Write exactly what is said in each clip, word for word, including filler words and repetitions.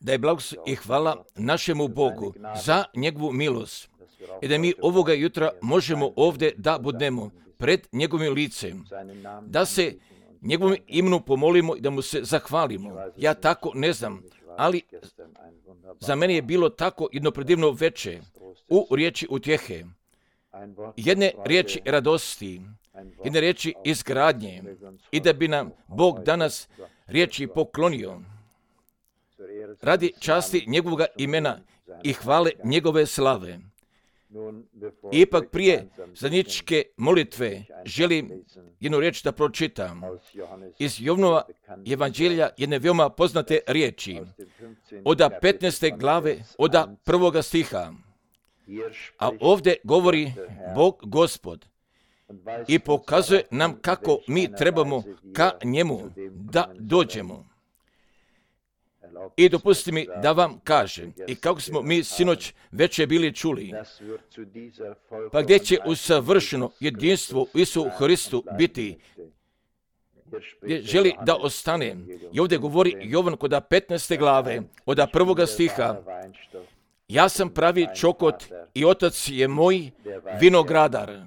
da je blagoslov i hvala našemu Bogu za njegovu milost i da mi ovoga jutra možemo ovdje da budemo pred njegovim licem, da se njegovom imenu pomolimo i da mu se zahvalimo. Ja tako ne znam, ali za mene je bilo tako jedno predivno veče u riječi utjehe, jedne riječi radosti, jedne riječi izgradnje i da bi nam Bog danas riječi poklonio radi časti njegovog imena i hvale njegove slave. Ipak prije zajedničke molitve želim jednu riječ da pročitam iz Jovanova evanđelja, jedne veoma poznate riječi, od petnaeste glave, od prvoga stiha. A ovdje govori Bog Gospod i pokazuje nam kako mi trebamo ka njemu da dođemo. I dopusti mi da vam kažem, i kako smo mi sinoć večer bili čuli, pa gdje će u savršeno jedinstvo u Isu Hristu biti, gdje želi da ostane. I ovdje govori Jovan kod petnaeste glave, od prvoga stiha, ja sam pravi čokot i otac je moj vinogradar.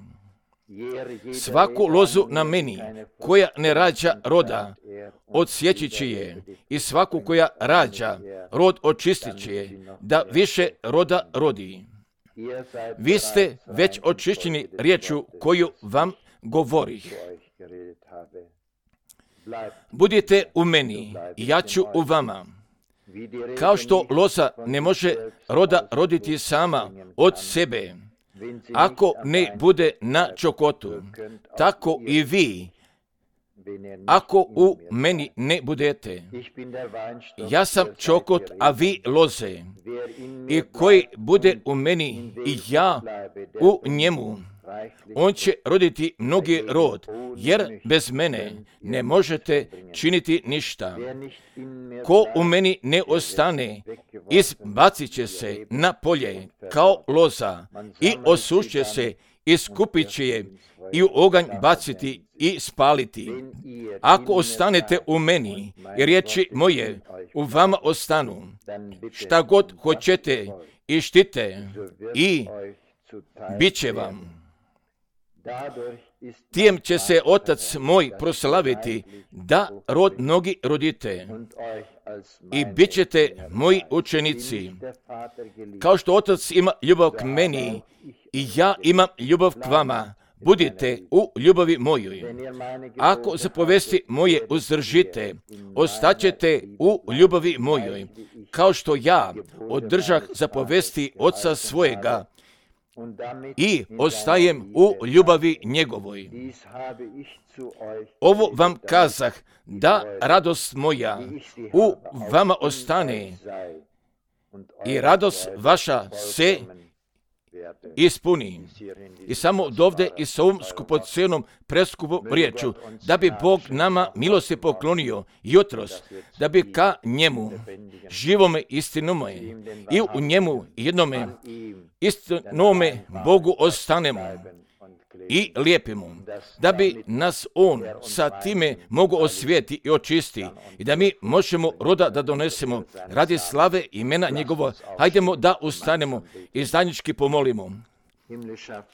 Svaku lozu na meni koja ne rađa roda, odsjeći će je, i svaku koja rađa rod očistit će je, da više roda rodi. Vi ste već očišćeni riječju koju vam govorih. Budite u meni i ja ću u vama. Kao što loza ne može roda roditi sama od sebe, ako ne bude na čokotu, tako i vi, ako u meni ne budete. Ja sam čokot, a vi loze. I koji bude u meni i ja u njemu, on će roditi mnogi rod, jer bez mene ne možete činiti ništa. Ko u meni ne ostane, izbacit će se na polje kao loza i osušit će se, i skupit će je i u oganj baciti i spaliti. Ako ostanete u meni i riječi moje u vama ostanu, šta god hoćete i štite i bit će vam. Tijem će se otac moj proslaviti, da rod mnogi rodite i bit ćete moji učenici. Kao što otac ima ljubav k meni i ja imam ljubav k vama, budite u ljubavi mojoj. Ako zapovesti moje uzdržite, ostaćete u ljubavi mojoj, kao što ja održah zapovesti oca svojega i ostajem u ljubavi njegovoj. Ovo vam kazah, da radost moja u vama ostane i radost vaša se ispuni. I samo od ovdje i s ovom skupocenom preskupom riječu, da bi Bog nama milosti poklonio jutros, da bi ka njemu, živome istinome i u njemu jednome istinome Bogu ostanemo i lijepimo, da bi nas on sa time mogu osvijeti i očisti i da mi možemo roda da donesemo radi slave imena njegova. Hajdemo da ustanemo i zajednički pomolimo.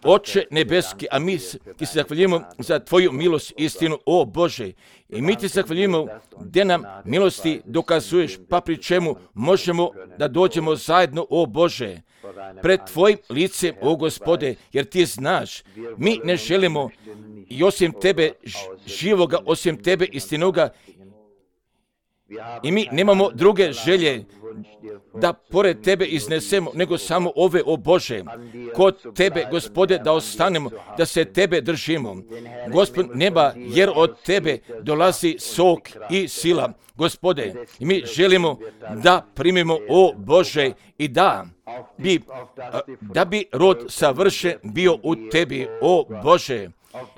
Oče nebeski, a mi ti se zahvaljujemo za tvoju milost i istinu, o Bože. I mi ti se zahvaljujemo gdje nam milosti dokazuješ, pa pri čemu možemo da dođemo zajedno, o Bože, pred tvojim licem, o Gospode, jer ti znaš, mi ne želimo i osim tebe živoga, osim tebe istinoga, i mi nemamo druge želje da pored tebe iznesemo, nego samo ove, o Bože, kod tebe, Gospode, da ostanemo, da se tebe držimo. Gospod neba, jer od tebe dolazi sok i sila. Gospode, mi želimo da primimo, o Bože, i da bi, da bi rod savršen bio u tebi, o Bože,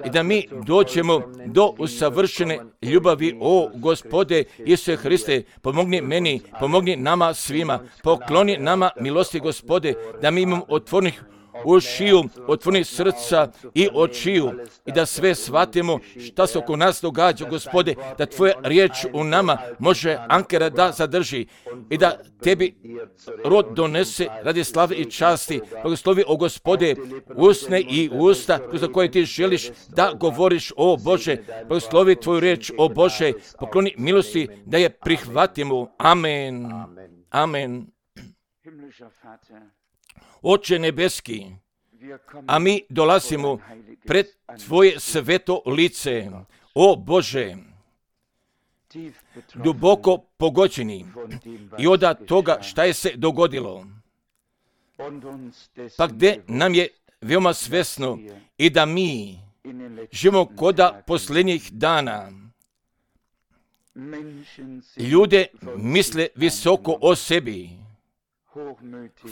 i da mi dođemo do usavršene ljubavi, o Gospode Isuse Hriste, pomogni meni, pomogni nama svima, pokloni nama milosti, Gospode, da mi imamo otvornih ušiju, otvori srca i očiju i da sve shvatimo šta se oko nas događa, Gospode, da Tvoja riječ u nama može ankera da zadrži i da Tebi rod donese radi slave i časti. Blagoslovi, o Gospode, usne i usta za koje Ti želiš da govoriš, o Bože. Blagoslovi Tvoju riječ, o Bože, pokloni milosti da je prihvatimo. Amen. Amen. Oče nebeski, a mi dolazimo pred Tvoje sveto lice, o Bože, duboko pogođeni i od toga šta je se dogodilo, pa gdje nam je veoma svesno i da mi živimo koda posljednjih dana. Ljude misle visoko o sebi,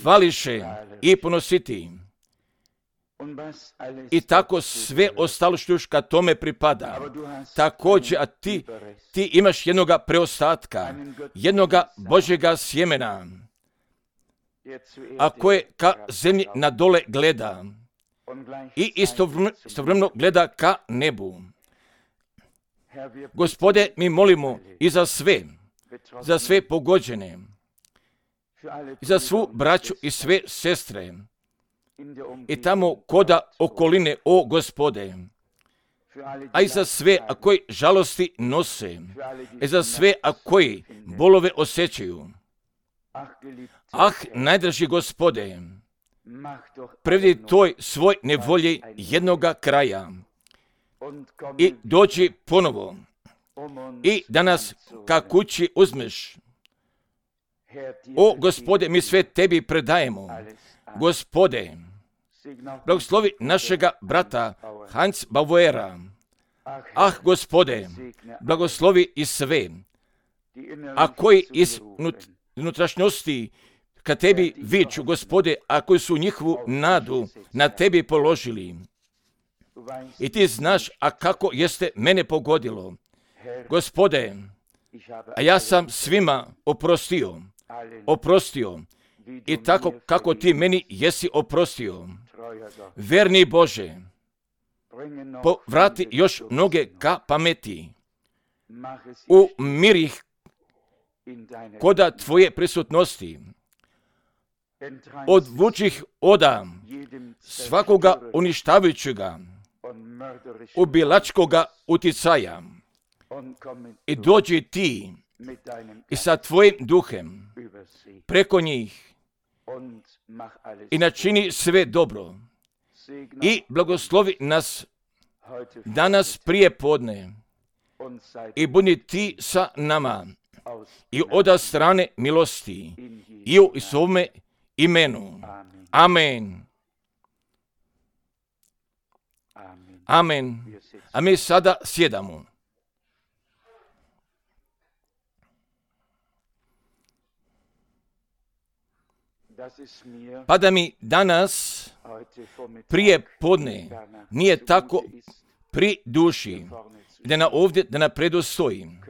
hvališe i ponositi. I tako sve ostalo što još kad tome pripada. Također, a ti, ti imaš jednoga preostatka, jednoga Božjega sjemena, a koje ka zemlji na dole gleda i istovremeno gleda ka nebu. Gospode, mi molimo i za sve, za sve pogođene, i za svu braću i sve sestre, i tamo koda okoline, o Gospode, a i za sve a koji žalosti nose, i za sve a koji bolove osjećaju. Ah, najdraži Gospode, prevedi toj svoj nevolji jednoga kraja i dođi ponovo i da nas ka kući uzmeš. O Gospode, mi sve Tebi predajemo. Gospode, blagoslovi našega brata Hans Bauera. Ah, Gospode, blagoslovi i sve, a koji iz unutrašnjosti ka Tebi viču, Gospode, a koji su njihovu nadu na Tebi položili. I Ti znaš, a kako jeste mene pogodilo. Gospode, a ja sam svima oprostio, oprostio, i tako kako Ti meni jesi oprostio. Verni Bože, povrati još mnoge ka pameti, umiri ih koda Tvoje prisutnosti, odvuči ih oda svakoga uništavajućega, ubilačkoga uticaja i dođi Ti i sa Tvojim duhem preko njih i načini sve dobro i blagoslovi nas danas prije podne i budi Ti sa nama i oda strane milosti i u svome imenu. Amen. Amen. A mi sada sjedamo. Pa da mi danas prije podne nije tako pri duši, da na ovdje da napredu stojim.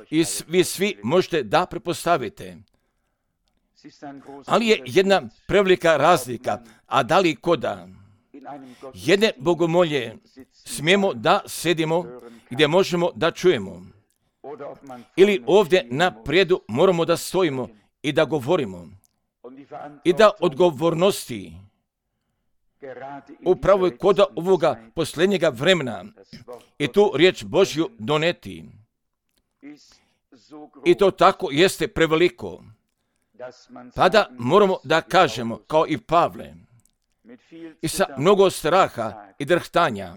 I vi svi možete da prepostavite. Ali je jedna prevelika razlika, a da li koda jedne bogomolje smijemo da sedimo gdje možemo da čujemo. Ili ovdje na prijedu moramo da stojimo i da govorimo. I da odgovornosti upravo je koda ovoga posljednjega vremena i tu riječ Božju doneti. I to tako jeste preveliko. Pa da moramo da kažemo, kao i Pavle, i sa mnogo straha i drhtanja,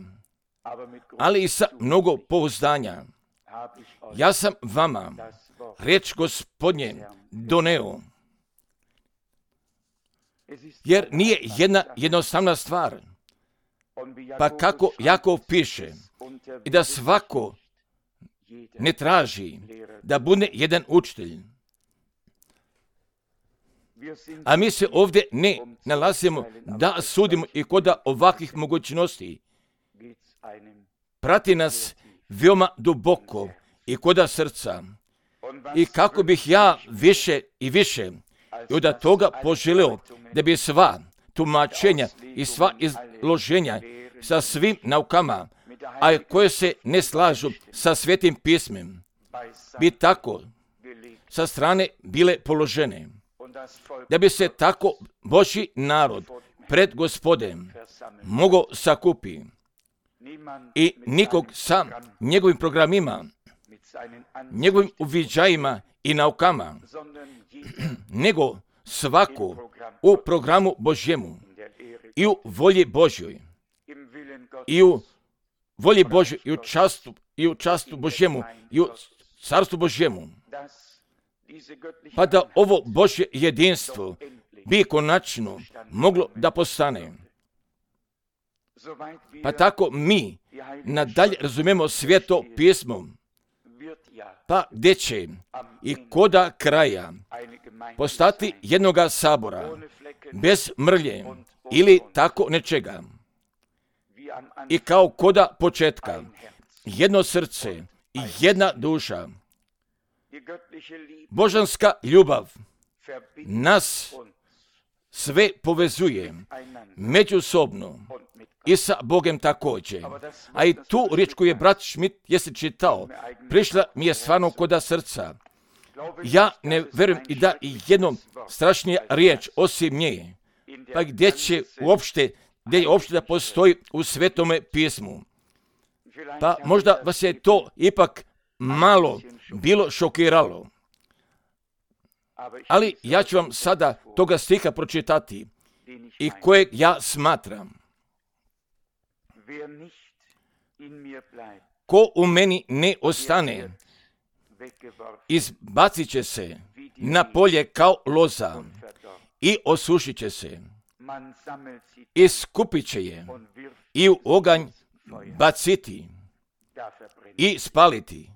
ali i sa mnogo pouzdanja, ja sam vama riječ Gospodnje doneo. Jer nije jedna jednostavna stvar. Pa kako Jakov piše, i da svako ne traži da bude jedan učitelj. A mi se ovdje ne nalazimo da sudimo i koda ovakvih mogućnosti. Prati nas veoma duboko i koda srca. I kako bih ja više i više i od toga poželio da bi sva tumačenja i sva izloženja sa svim naukama, a koje se ne slažu sa Svetim pismem, bi tako sa strane bile položene, da bi se tako Božji narod pred Gospodem mogao sakupi i nikog sa njegovim programima, njegovim uviđajima i naukama, nego svako u programu Božjemu i u volji Božjoj i u volji Božjoj i u častu, i u častu Božjemu i u carstvu Božjemu, pa da ovo Božje jedinstvo bi konačno moglo da postane. Pa tako mi nadalje razumijemo Sveto pismo, pa gdje će i koda kraja postati jednoga sabora, bez mrlje ili tako nečega. I kao koda početka, jedno srce i jedna duša. Božanska ljubav nas sve povezuje međusobno i sa Bogom također. A i tu riječ koju je brat Schmidt jeste čitao, prišla mi je stvarno koda srca. Ja ne vjerujem i da i jednom strašnija riječ osim nje, pa gdje će uopšte, gdje je uopšte da postoji u Svetome pismu. Pa možda vas je to ipak malo bilo šokiralo. Ali ja ću vam sada toga stiha pročitati i kojeg ja smatram. Ko u meni ne ostane, izbacit će se na polje kao loza i osušit će se. I skupit će je i u oganj baciti i spaliti.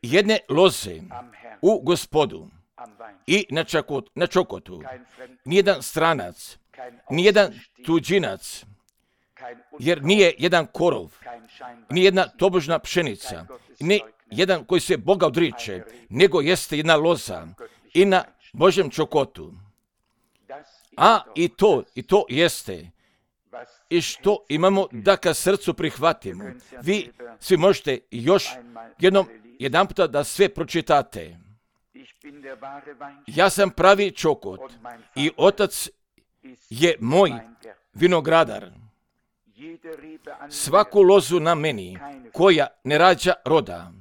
Jedne loze u Gospodu i na, čakot, na čokotu, nijedan stranac, nijedan tuđinac, jer nije jedan korov, nijedna tobožna pšenica, ne jedan koji se Boga odriče, nego jeste jedna loza i na Božjem čokotu. A i to, i to jeste, i što imamo da ka srcu prihvatimo. Vi svi možete još jednom, jedan puta da sve pročitate. Ja sam pravi čokot i Otac je moj vinogradar. Svaku lozu na meni koja ne rađa roda,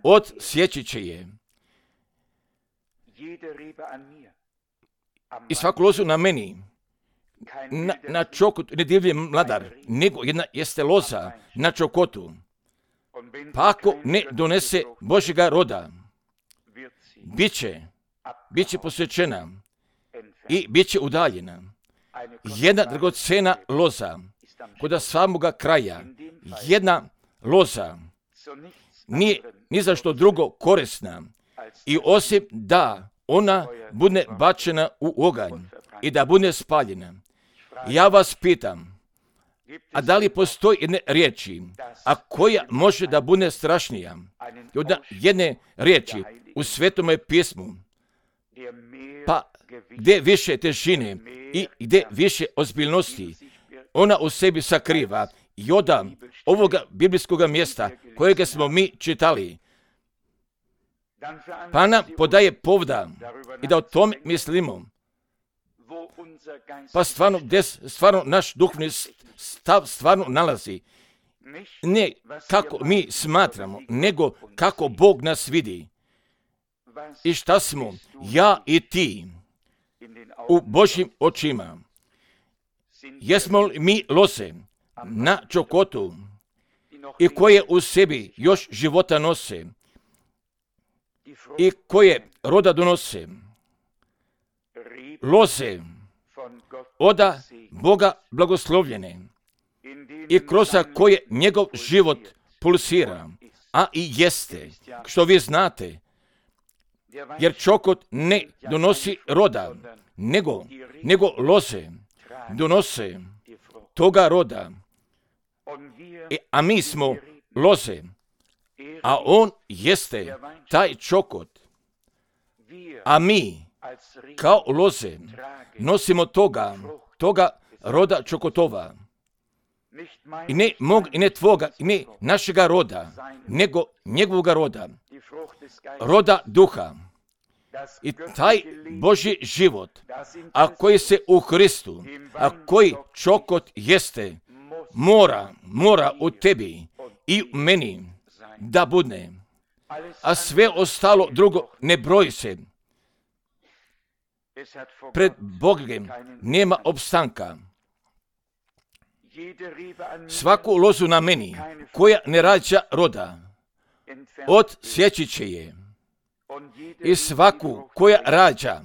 odsjeći će je. I svaku lozu na meni, na, na čokotu, ne divlje mladar, nego jedna jeste loza na čokotu. Pa ako ne donese Božjega roda, bit će, bit će posvećena i bit će udaljena. Jedna dragocena loza kod samoga kraja, jedna loza nije ni za što drugo korisna i osim da ona bude bačena u oganj i da bude spaljena. Ja vas pitam, a da li postoji jedne riječi, a koja može da bude strašnija od jedne riječi u Svetome pismu, pa gdje više težine i gdje više ozbiljnosti ona u sebi sakriva i od ovoga biblijskog mjesta kojega smo mi čitali, pa nam podaje povda i da o tome mislimo. Pa stvarno, gdje stvarno naš duhovni stav stvarno nalazi. Ne kako mi smatramo, nego kako Bog nas vidi. I šta smo, ja i ti, u Božjim očima. Jesmo li mi loze na čokotu i koje u sebi još života nose i koje roda donose? Loze oda Boga blagoslovljene i kroz koje njegov život pulsira, a i jeste, što vi znate, jer čokot ne donosi roda, nego, nego loze donose toga roda, e, a mi smo loze, a on jeste taj čokot, a mi kao loze nosimo toga, toga roda čokotova. I ne mog, i ne tvoga, i ne našega roda, nego njegovoga roda, roda duha. I taj Božji život, a koji se u Hristu, a koji čokot jeste, mora, mora u tebi i u meni da budne. A sve ostalo drugo ne broji se. Pred Bogom nema opstanka. Svaku lozu na meni, koja ne rađa roda, odsjeći će je. I svaku koja rađa,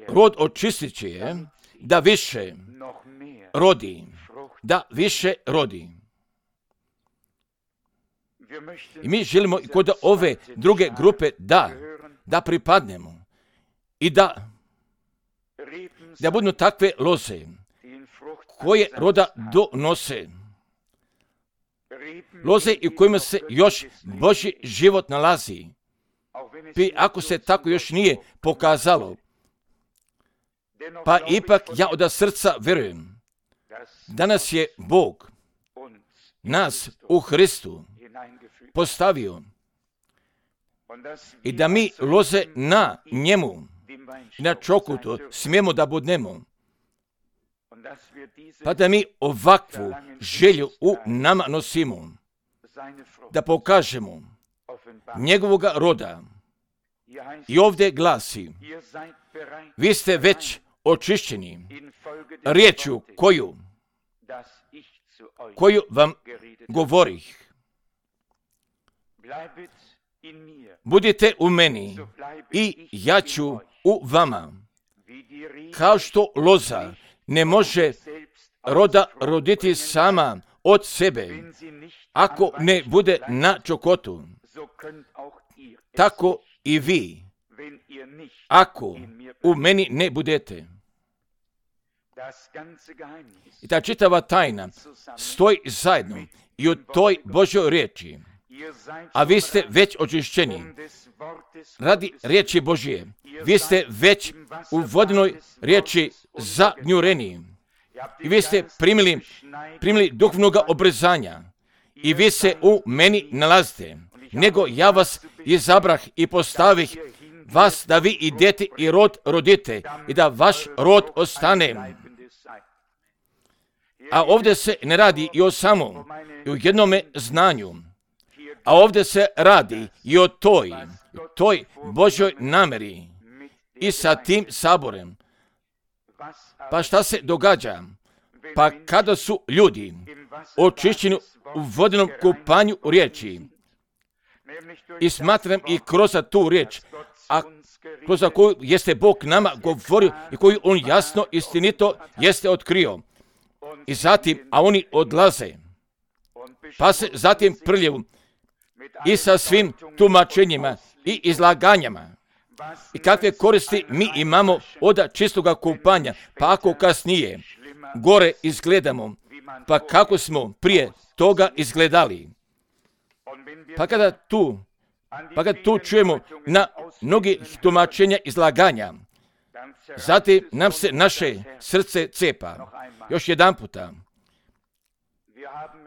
rod očistit će je, da više rodi, da više rodi. I mi želimo i kod ove druge grupe da, da pripadnemo i da, da budu takve loze, koje roda donose. Loze i u kojima se još Božji život nalazi. I ako se tako još nije pokazalo, pa ipak ja od srca vjerujem, danas je Bog nas u Hristu postavio i da mi loze na njemu, na čokotu smijemo da budemo. Pa da mi ovakvu želju u nama nosimo, da pokažemo njegovoga roda. I ovdje glasi, vi ste već očišćeni riječju koju, koju vam govorih. Budite u meni i ja ću u vama. Kao što loza ne može roda roditi sama od sebe, ako ne bude na čokotu, tako i vi, ako u meni ne budete. I ta čitava tajna stoji zajedno i u toj Božoj riječi, a vi ste već očišćeni radi riječi Božije. Vi ste već u vodenoj riječi zagnjureni i vi ste primili, primili duhovnog obrezanja i vi se u meni nalazite. Nego ja vas izabrah i postavih vas da vi idete i rod rodite i da vaš rod ostane. A ovdje se ne radi i o samom, i o jednome znanju, a ovdje se radi i o toj, toj Božoj nameri i sa tim saborem. Pa šta se događa? Pa kada su ljudi očišćeni u vodenom kupanju u riječi, i smatram i kroz tu riječ, a kroz koju jeste Bog nama govorio i koju on jasno, istinito jeste otkrio. I zatim, a oni odlaze, pa se zatim prljevu i sa svim tumačenjima i izlaganjama. I kakve koristi mi imamo od čistoga kupanja, pa ako kasnije gore izgledamo, pa kako smo prije toga izgledali. Pa kada tu, pa kada tu čujemo na mnogi tumačenja izlaganja, zatim nam se naše srce cepa. Još jedan puta.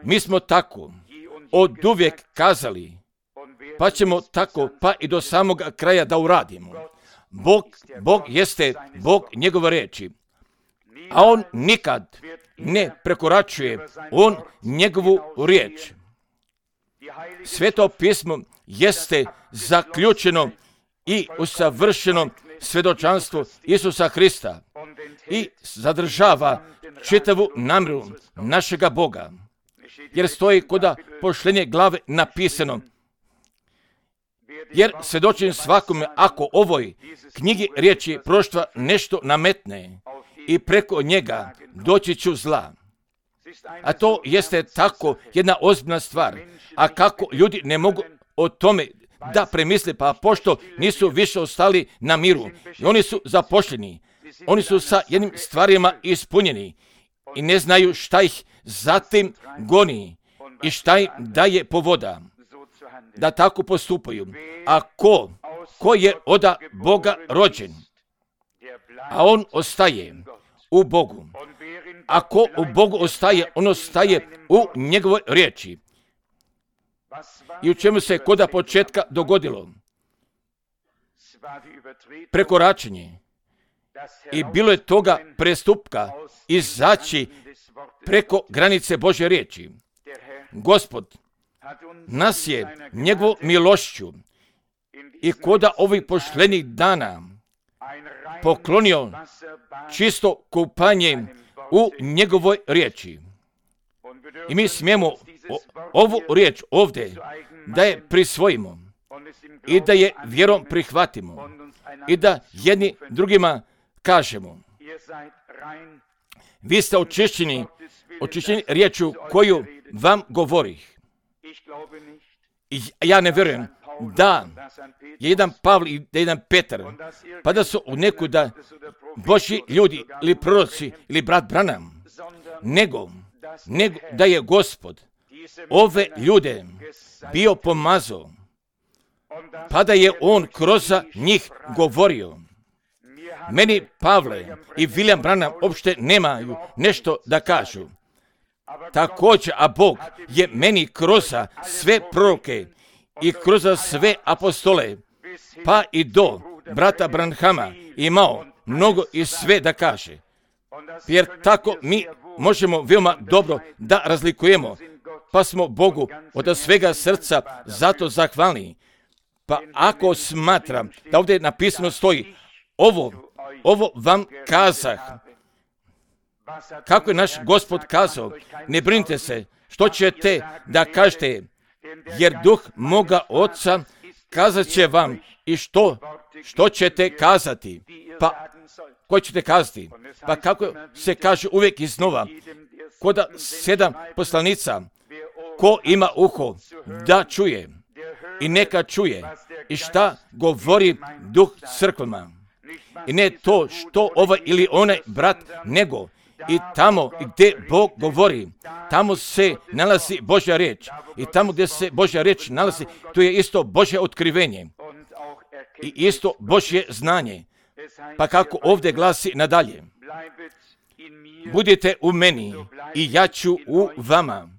Mi smo tako od uvijek kazali, pa ćemo tako pa i do samog kraja da uradimo. Bog, Bog jeste Bog njegove riječi, a on nikad ne prekoračuje on njegovu riječ. Sveto pismo jeste zaključeno i usavršeno svjedočanstvo Isusa Hrista i zadržava čitavu namjeru našega Boga. Jer stoji koda pošlenje glave napisano. Jer svjedočim svakome ako ovoj knjigi riječi proštva nešto nametne i preko njega doći ću zla. A to jeste tako jedna ozbiljna stvar. A kako ljudi ne mogu o tome da premisle, pa pošto nisu više ostali na miru. I oni su zapošljeni. Oni su sa jednim stvarima ispunjeni i ne znaju šta ih zatim goni i šta im daje povoda da tako postupaju. A ko ko je od Boga rođen, a on ostaje u Bogu. Ako u Bogu ostaje, on ostaje u njegovoj riječi. I u čemu se koda početka dogodilo? Prekoračenje. I bilo je toga prestupka izaći preko granice Božje riječi. Gospod nas je njegovom milošću i koda ovih poštenih dana poklonio čisto kupanje u njegovoj riječi. I mi smijemo o, ovu riječ ovdje da je prisvojimo i da je vjerom prihvatimo i da jedni drugima kažemo: vi ste očišćeni, očišćeni riječu koju vam govorih. I ja ne vjerujem da je jedan Pavle i da je jedan Petar, pa da su u nekuda Božji ljudi ili proroci ili brat Branham, nego, nego da je Gospod ove ljude bio pomazao, pa da je on kroz njih govorio. Meni Pavle i William Branham uopšte nemaju nešto da kažu. Također, a Bog je meni kroz sve proroke i kroz sve apostole, pa i do brata Branhama imao mnogo i sve da kaže. Jer tako mi možemo veoma dobro da razlikujemo, pa smo Bogu od svega srca zato zahvalni. Pa ako smatram da ovdje napisano stoji: ovo, ovo vam kazah. Kako je naš Gospod kazao, ne brinite se što ćete da kažete, jer duh moga Oca kazat će vam i što, što ćete kazati. Pa, ko ćete kazati? Pa kako se kaže uvijek iznova, koda sedam poslanica, ko ima uho da čuje, i neka čuje, i šta govori duh crkvama. I ne to što ovaj ili onaj brat, nego i tamo gdje Bog govori, tamo se nalazi Božja riječ. I tamo gdje se Božja riječ nalazi, tu je isto Božje otkrivenje i isto Božje znanje. Pa kako ovdje glasi nadalje: budite u meni i ja ću u vama.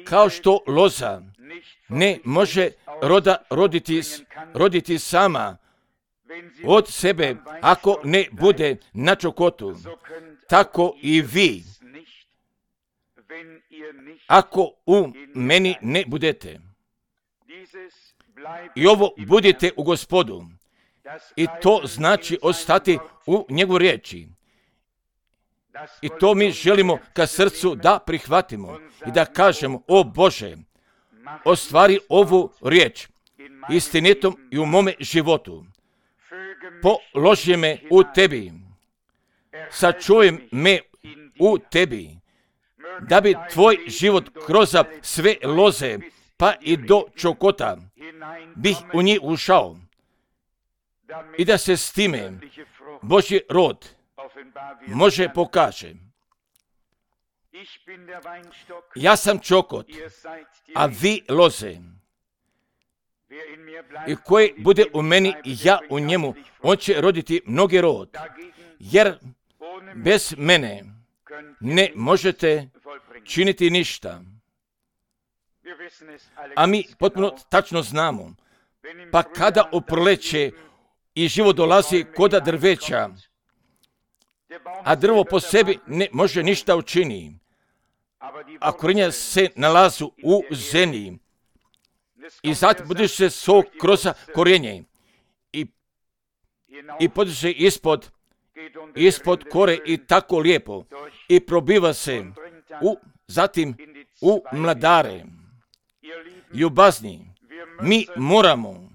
Kao što loza ne može roda roditi, roditi sama od sebe ako ne bude na čokotu, tako i vi, ako u meni ne budete. I ovo budite u Gospodu. I to znači ostati u njegovoj riječi. I to mi želimo ka srcu da prihvatimo i da kažemo: o Bože, ostvari ovu riječ istinitom i u mome životu. Položi me u tebi, sačuvaj me u tebi, da bi tvoj život kroz sve loze pa i do čokota bih u njih ušao i da se s time Božji rod može pokaže. Ja sam čokot, a vi loze. I koji bude u meni i ja u njemu, on će roditi mnogi rod. Jer bez mene ne možete činiti ništa. A mi potpuno tačno znamo. Pa kada oproleće i život dolazi koda drveća, a drvo po sebi ne može ništa učiniti, a korenja se nalazu u zemlji i zatim podiže se sok kroz korijenje i, i podiže ispod, ispod kore i tako lijepo i probiva se u, zatim u mladare. Ljubazni, mi moramo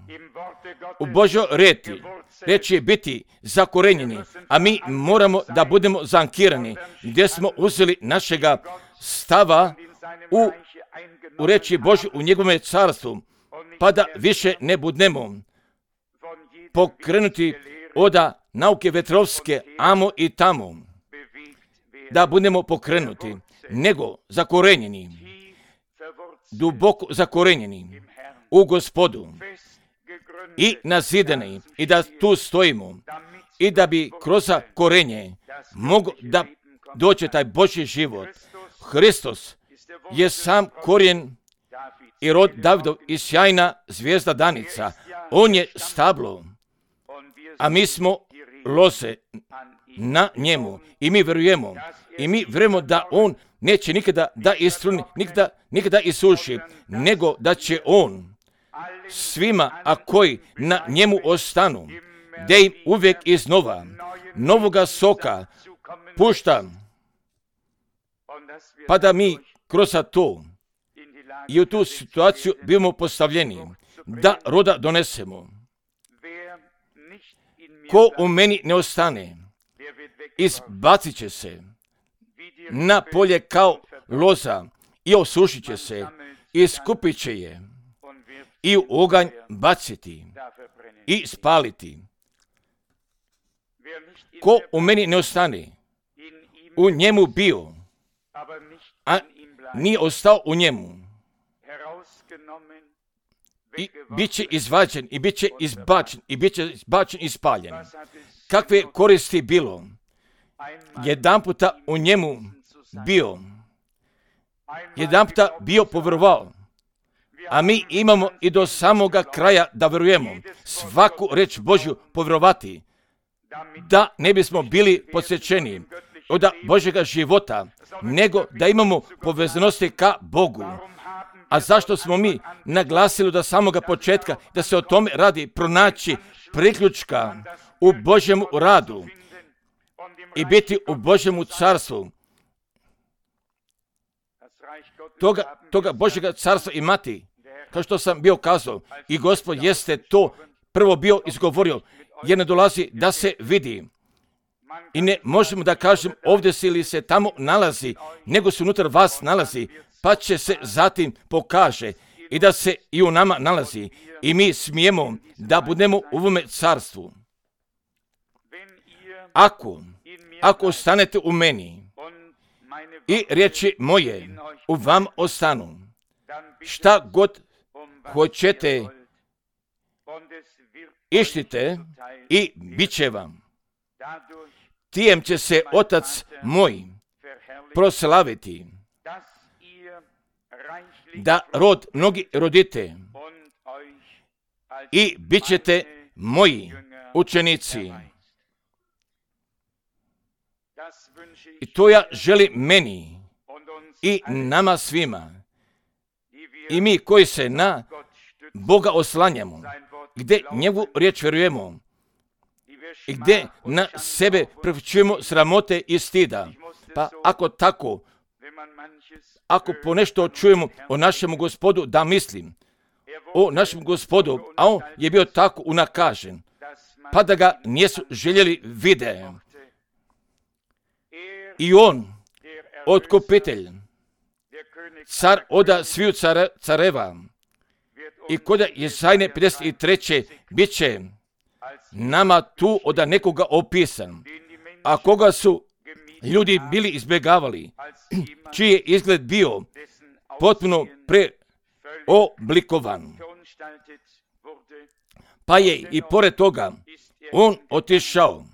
u Božoj reti reći biti zakorenjeni, a mi moramo da budemo zankirani gdje smo uzeli našega stava u, u reči Božju u njegovom carstvu, pa da više ne budemo pokrenuti od nauke vetrovske amo i tamo, da budemo pokrenuti, nego zakorenjeni, duboko zakorenjeni u Gospodu i nazidani i da tu stojimo i da bi kroz korenje mogo da doće taj Božji život. Hristos je sam korijen i rod Davidov i sjajna zvijezda danica. On je stablo, a mi smo loze na njemu i mi vjerujemo. I mi vjerujemo da on neće nikada da istruni, nikada, nikada isuši, nego da će on svima, a koji na njemu ostanu, da im uvijek iznova novoga soka pušta, pa da mi kroz to i u tu situaciju bimo postavljeni, da roda donesemo. Ko u meni ne ostane, izbacit će se na polje kao loza i osušit će se, i skupit će je i u oganj baciti i spaliti. Ko u meni ne ostane, u njemu bio, a nije ostao u njemu, i bit će izvađen, i bit će izbačen, i bit će izbačen i spaljen. Kakve koristi bilo? Jedan puta u njemu bio, jedan puta bio povjerovao, a mi imamo i do samoga kraja da vjerujemo, svaku reč Božju povjerovati, da ne bismo bili podsjećeni od Božjega života, nego da imamo povezanosti ka Bogu. A zašto smo mi naglasili da samoga početka da se o tome radi pronaći priključka u Božjemu radu i biti u Božjemu carstvu, toga, toga Božjega carstva imati, kao što sam bio kazao, i Gospod jeste to prvo bio izgovorio, jer ne dolazi da se vidi. I ne možemo da kažem ovdje se ili se tamo nalazi, nego se unutar vas nalazi, pa će se zatim pokaže i da se i u nama nalazi. I mi smijemo da budemo u ovome carstvu. Ako, ako ostanete u meni i riječi moje u vam ostanu, šta god hoćete, ištite i bit će vam. Tijem će se Otac moj proslaviti, da rod mnogi rodite i bit ćete moji učenici. I to ja želim meni i nama svima. I mi koji se na Boga oslanjamo, gdje njegovu riječ vjerujemo i gdje na sebe prepućujemo sramote i stida. Pa ako tako, ako po nešto čujemo o našemu Gospodu, da mislim o našem Gospodu, a on je bio tako unakažen, pa da ga nisu željeli vide. I on, otkupitelj, car oda sviju care, careva, i koda Jesajne pedeset treće bit će nama tu oda nekoga opisan, a koga su ljudi bili izbjegavali, čiji je izgled bio potpuno preoblikovan. Pa je i pored toga on otišao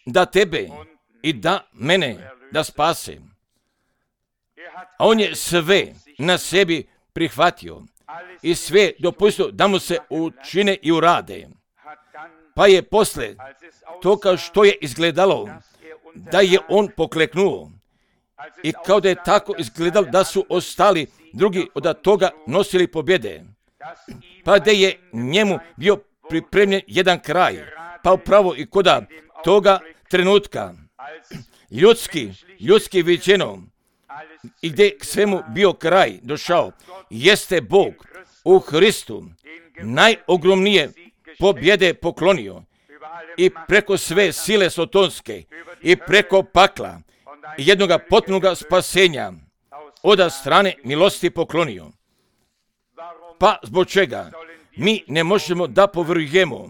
da tebe i da mene da spase. A on je sve na sebi prihvatio i sve dopustio da mu se učine i urade. Pa je posle toga što je izgledalo da je on pokleknuo i kao da je tako izgledalo da su ostali drugi od toga nosili pobjede, pa da je njemu bio pripremljen jedan kraj, pa upravo i koda toga trenutka ljudski, ljudski viđeno i gdje k svemu bio kraj došao, jeste Bog u Hristu najogromnije pobjede poklonio i preko sve sile sotonske i preko pakla i jednoga potpunoga spasenja od strane milosti poklonio. Pa zbog čega mi ne možemo da povjerujemo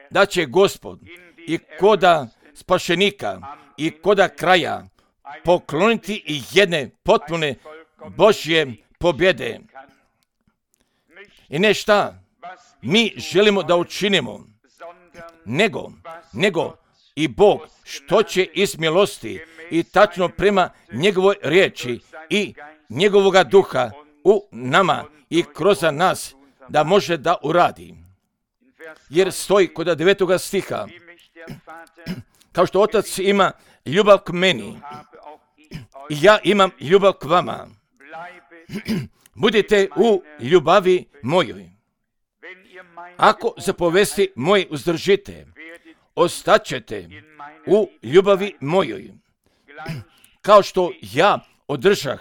da će Gospod i koda spašenika i koda kraja pokloniti i jedne potpune Božje pobjede. I ne šta mi želimo da učinimo, nego, nego i Bog što će iz milosti i tačno prema njegovoj riječi i njegovoga duha u nama i kroz nas da može da uradi. Jer stoji kod devetoga stiha, kao što Otac ima ljubav k meni, i ja imam ljubav k vama. Budite u ljubavi mojoj. Ako zapovesti moje uzdržite, ostaćete u ljubavi mojoj. Kao što ja održah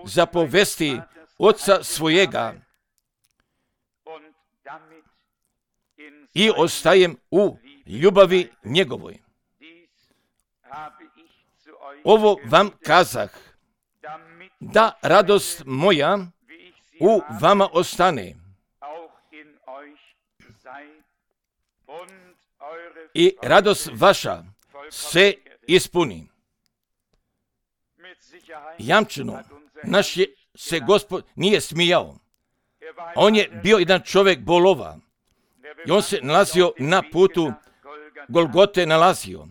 zapovesti Oca svojega i ostajem u ljubavi njegovoj. Ovo vam kazah, da radost moja u vama ostane i radost vaša se ispuni. Jamčeno, naš je se Gospod nije smijao. On je bio jedan čovjek bolova i on se nalazio na putu Golgote nalazio.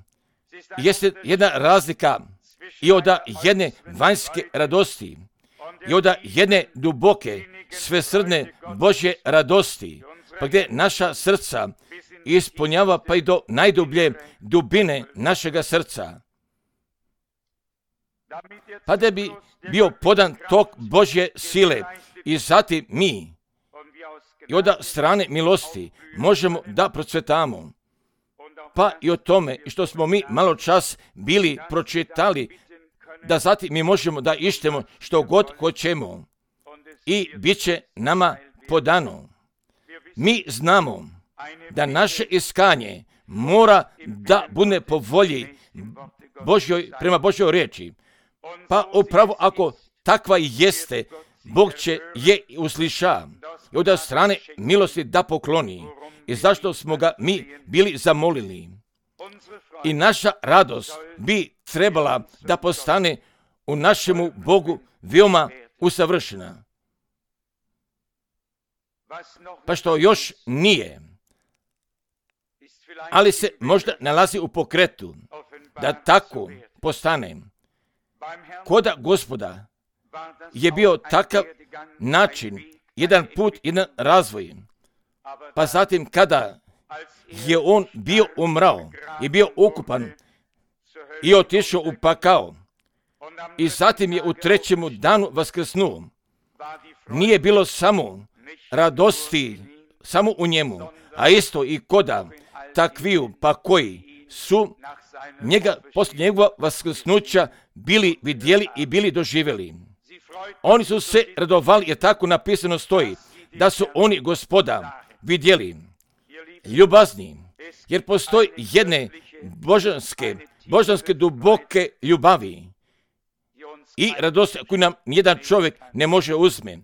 Jeste jedna razlika i od jedne vanjske radosti i od jedne duboke, svesrdne Božje radosti, pa gdje naša srca ispunjava pa i do najdublje dubine našega srca. Pa da bi bio podan tok Božje sile i zatim mi i od strane milosti možemo da procvetamo. Pa i o tome što smo mi malo čas bili pročitali, da zatim mi možemo da ištemo što god hoćemo i bit će nama podano. Mi znamo da naše iskanje mora da bude po volji Božjoj, prema Božjoj riječi. Pa upravo ako takva jeste, Bog će je usliša i od strane milosti da pokloni. I zašto smo ga mi bili zamolili? I naša radost bi trebala da postane u našemu Bogu veoma usavršena. Pa što još nije, ali se možda nalazi u pokretu, da tako postane. Koda Gospoda je bio takav način, jedan put, jedan razvoj. Pa zatim kada je on bio umrao i bio ukupan i otišao u pakao i zatim je u trećemu danu vaskrsnuo, nije bilo samo radosti samo u njemu, a isto i koda takviju pa koji su njega poslije njegova vaskrsnuća bili vidjeli i bili doživjeli. Oni su se radovali, jer tako napisano stoji, da su oni Gospoda vidjeli. Ljubazni, jer postoji jedne božanske, božanske duboke ljubavi i radosti koju nam nijedan čovjek ne može uzme.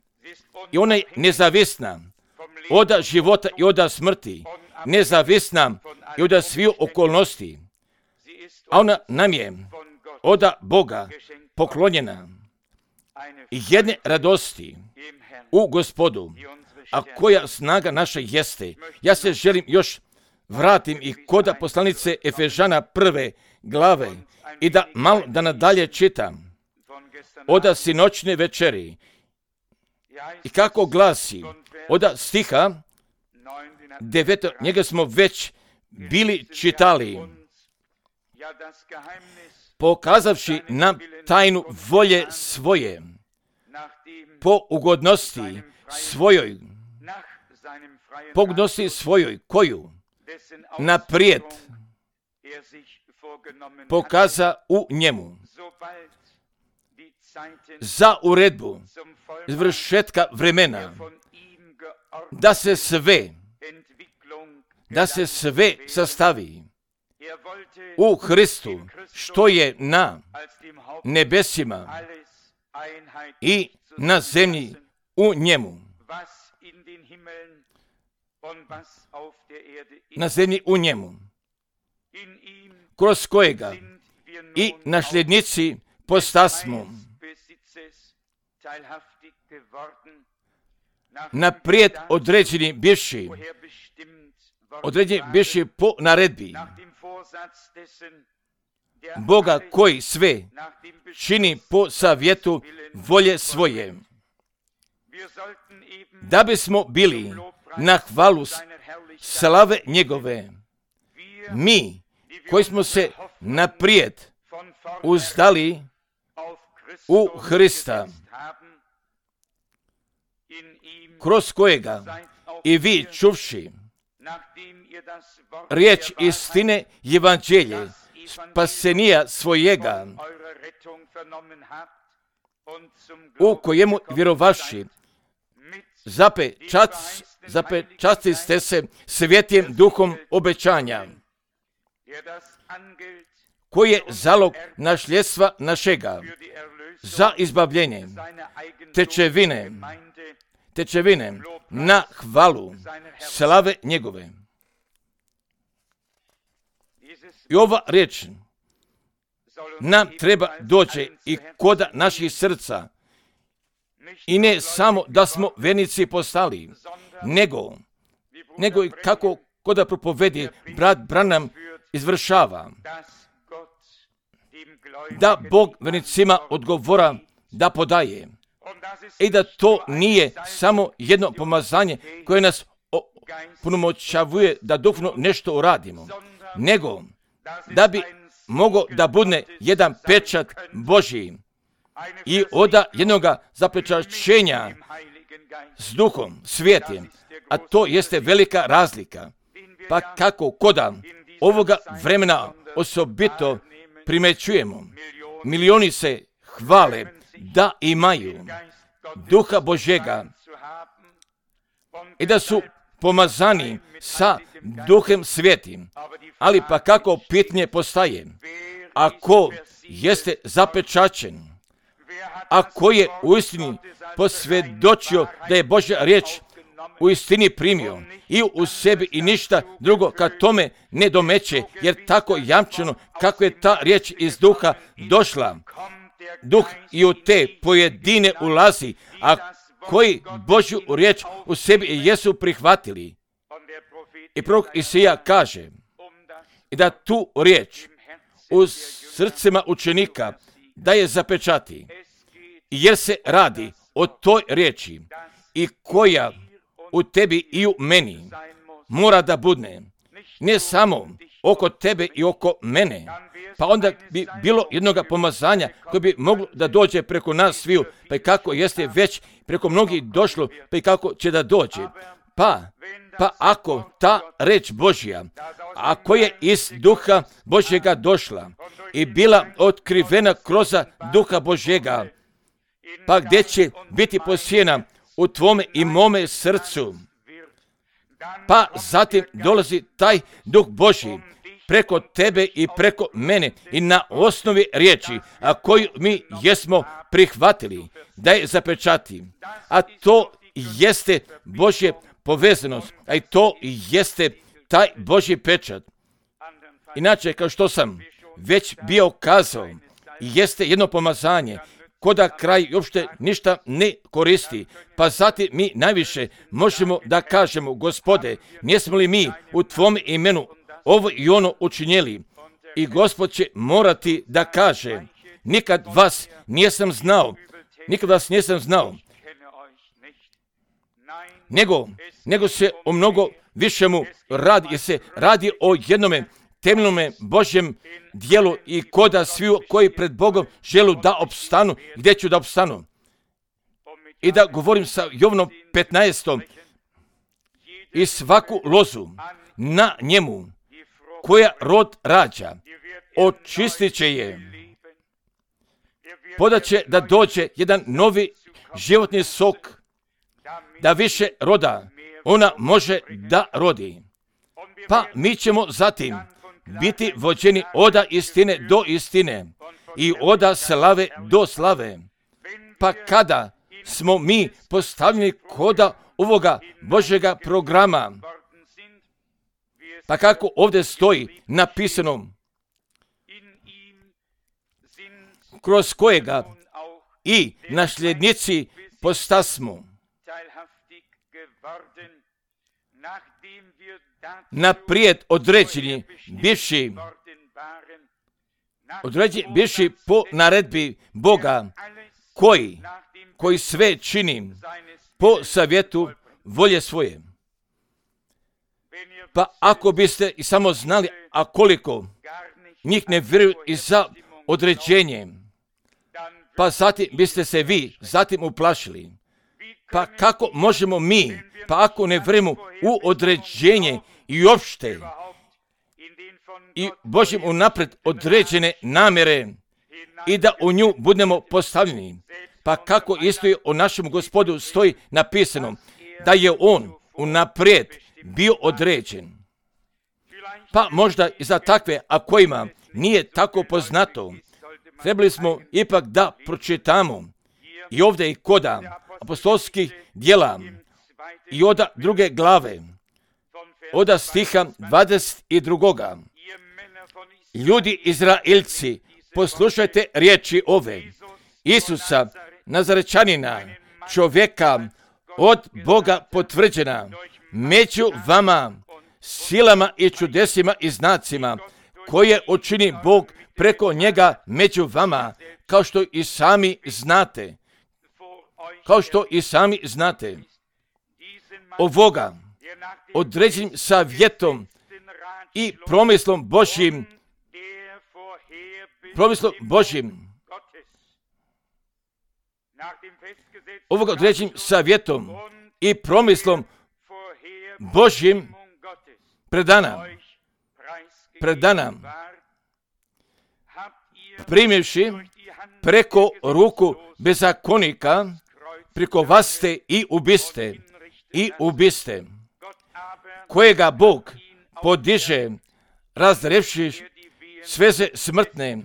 I ona je nezavisna od života i od smrti, nezavisna i od svih okolnosti. A ona nam je od Boga poklonjena i jedne radosti u Gospodu, a koja snaga naša jeste. Ja se želim još vratim i koda poslanice Efežana prve glave i da malo da nadalje čitam od sinoćne večeri i kako glasi od stiha deveto, njega smo već bili čitali, pokazavši nam tajnu volje svoje po ugodnosti svojoj, po ugodnosti svojoj, koju naprijed pokaza u njemu za uredbu izvršetka vremena, da se sve, da se sve sastavi u Hristu, što je na nebesima i na zemlji u njemu. Na zemlji u njemu, kroz kojega i nasljednici postasmo. naprijed određeni bivši, određeni bivši po naredbi Boga koji sve čini po savjetu volje svoje, da bismo bili na hvalu slave njegove. Mi koji smo se naprijed uzdali u Hrista, kroz kojega i vi čuvši riječ istine evanđelje spasenija svojega, u kojemu vjerovaši zapečat, zapečati ste se svjetim duhom obećanja, koji je zalog nasljedstva našega za izbavljenje, tečevine, tečevine na hvalu slave njegove. I ova riječ nam treba doći i koda naših srca, i ne samo da smo vernici postali, nego, nego i kako koda propovedi brat Branham izvršava, da Bog vernicima odgovora da podaje, i da to nije samo jedno pomazanje koje nas punomoćavuje da duhovno nešto uradimo, nego da bi mogao da bude jedan pečat Božji i oda jednoga zapečaćenja s duhom svijetim, a to jeste velika razlika. Pa kako koda ovoga vremena osobito primećujemo, milioni se hvale da imaju duha Božjega i da su pomazani sa duhem svijetim, ali pa kako pitanje postaje, ako jeste zapečaćen, ako je u istini posvjedočio da je Božja riječ u istini primio i u sebi i ništa drugo kad tome ne domeće, jer tako jamčeno kako je ta riječ iz duha došla, duh i u te pojedine ulazi, a koji Božju riječ u sebi jesu prihvatili. I prorok Isija kaže i da tu riječ u srcima učenika da je zapečati, jer se radi o toj riječi i koja u tebi i u meni mora da budne, ne samo oko tebe i oko mene, pa onda bi bilo jednoga pomazanja koje bi moglo da dođe preko nas sviju, pa i kako jeste već preko mnogih došlo, pa i kako će da dođe. Pa, pa ako ta reč Božja, ako je iz duha Božjega došla i bila otkrivena kroz duha Božjega, pa gdje će biti posijena u tvome i mome srcu, pa zatim dolazi taj duh Božji preko tebe i preko mene i na osnovi riječi, a koju mi jesmo prihvatili da je zapečati, a to jeste Božje povezanost, a i to jeste taj Božji pečat. Inače, kao što sam već bio kazao, jeste jedno pomazanje, koda kraj uopšte ništa ne koristi, pa zatim mi najviše možemo da kažemo, Gospode, nismo li mi u Tvom imenu ovo i ono učinjeli? I Gospod će morati da kaže, nikad vas nisam znao, nikad vas nisam znao, nego, nego se o mnogo višemu radi, jer se radi o jednome temeljnome Božjem dijelu i koda svi koji pred Bogom želu da opstanu, gdje ću da opstanu. I da govorim sa Jovanom petnaestom i svaku lozu na njemu koja rod rađa, očistit će je, podaće da dođe jedan novi životni sok, da više roda ona može da rodi. Pa mi ćemo zatim biti vođeni oda istine do istine i oda slave do slave. Pa kada smo mi postavljeni koda ovoga Božjega programa, pa kako ovdje stoji napisano, kroz kojega i nasljednici postasmo. naprijed određeni, bivši, određeni, bivši po naredbi Boga, koji, koji sve čini po savjetu volje svoje. Pa ako biste i samo znali, a koliko njih ne vjeruju i za određenje, pa zatim biste se vi zatim uplašili. Pa kako možemo mi, pa ako ne vjerujemo u određenje i uopšte i Božjim unaprijed određene namjere i da u nju budemo postavljeni, pa kako isto je o našem Gospodu stoji napisano, da je on unaprijed bio određen. Pa možda i za takve, a kojima nije tako poznato, trebali smo ipak da pročitamo i ovdje i koda apostolskih djela i od druge glave, od stiha dvadeset dva. Ljudi Izraelci, poslušajte riječi ove. Isusa, Nazarečanina, čovjeka od Boga potvrđena, među vama, silama i čudesima i znacima, koje učini Bog preko njega među vama, kao što i sami znate. Kao što i sami znate. Ovoga, određenim savjetom i promislom Božjim, promislom Božjim, ovoga određenim savjetom i promislom Božjim predana, predana, primivši preko ruku bezakonika, preko vas ste i ubiste, i ubiste, kojega Bog podiže, razrevši sveze smrtne,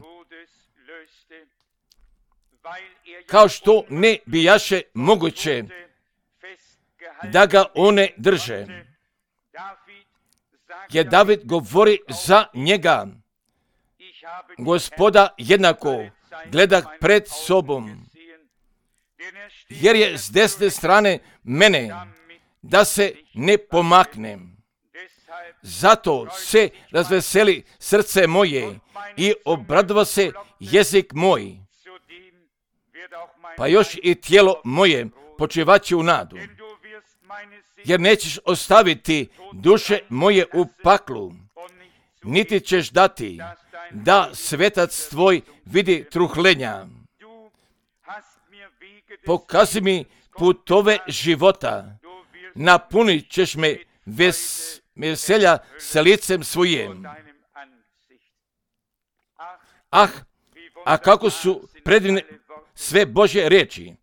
kao što ne bijaše moguće da ga one drže. Jer David govori za njega, Gospoda jednako gleda pred sobom, jer je s desne strane mene, da se ne pomaknem. Zato se razveseli srce moje i obradova se jezik moj, pa još i tijelo moje počivaće u nadu, jer nećeš ostaviti duše moje u paklu, niti ćeš dati da svetac tvoj vidi truhlenja. Pokazi mi putove života, napunit ćeš me ves, veselja sa licem svojim. Ah, a kako su predivne sve Božje riječi.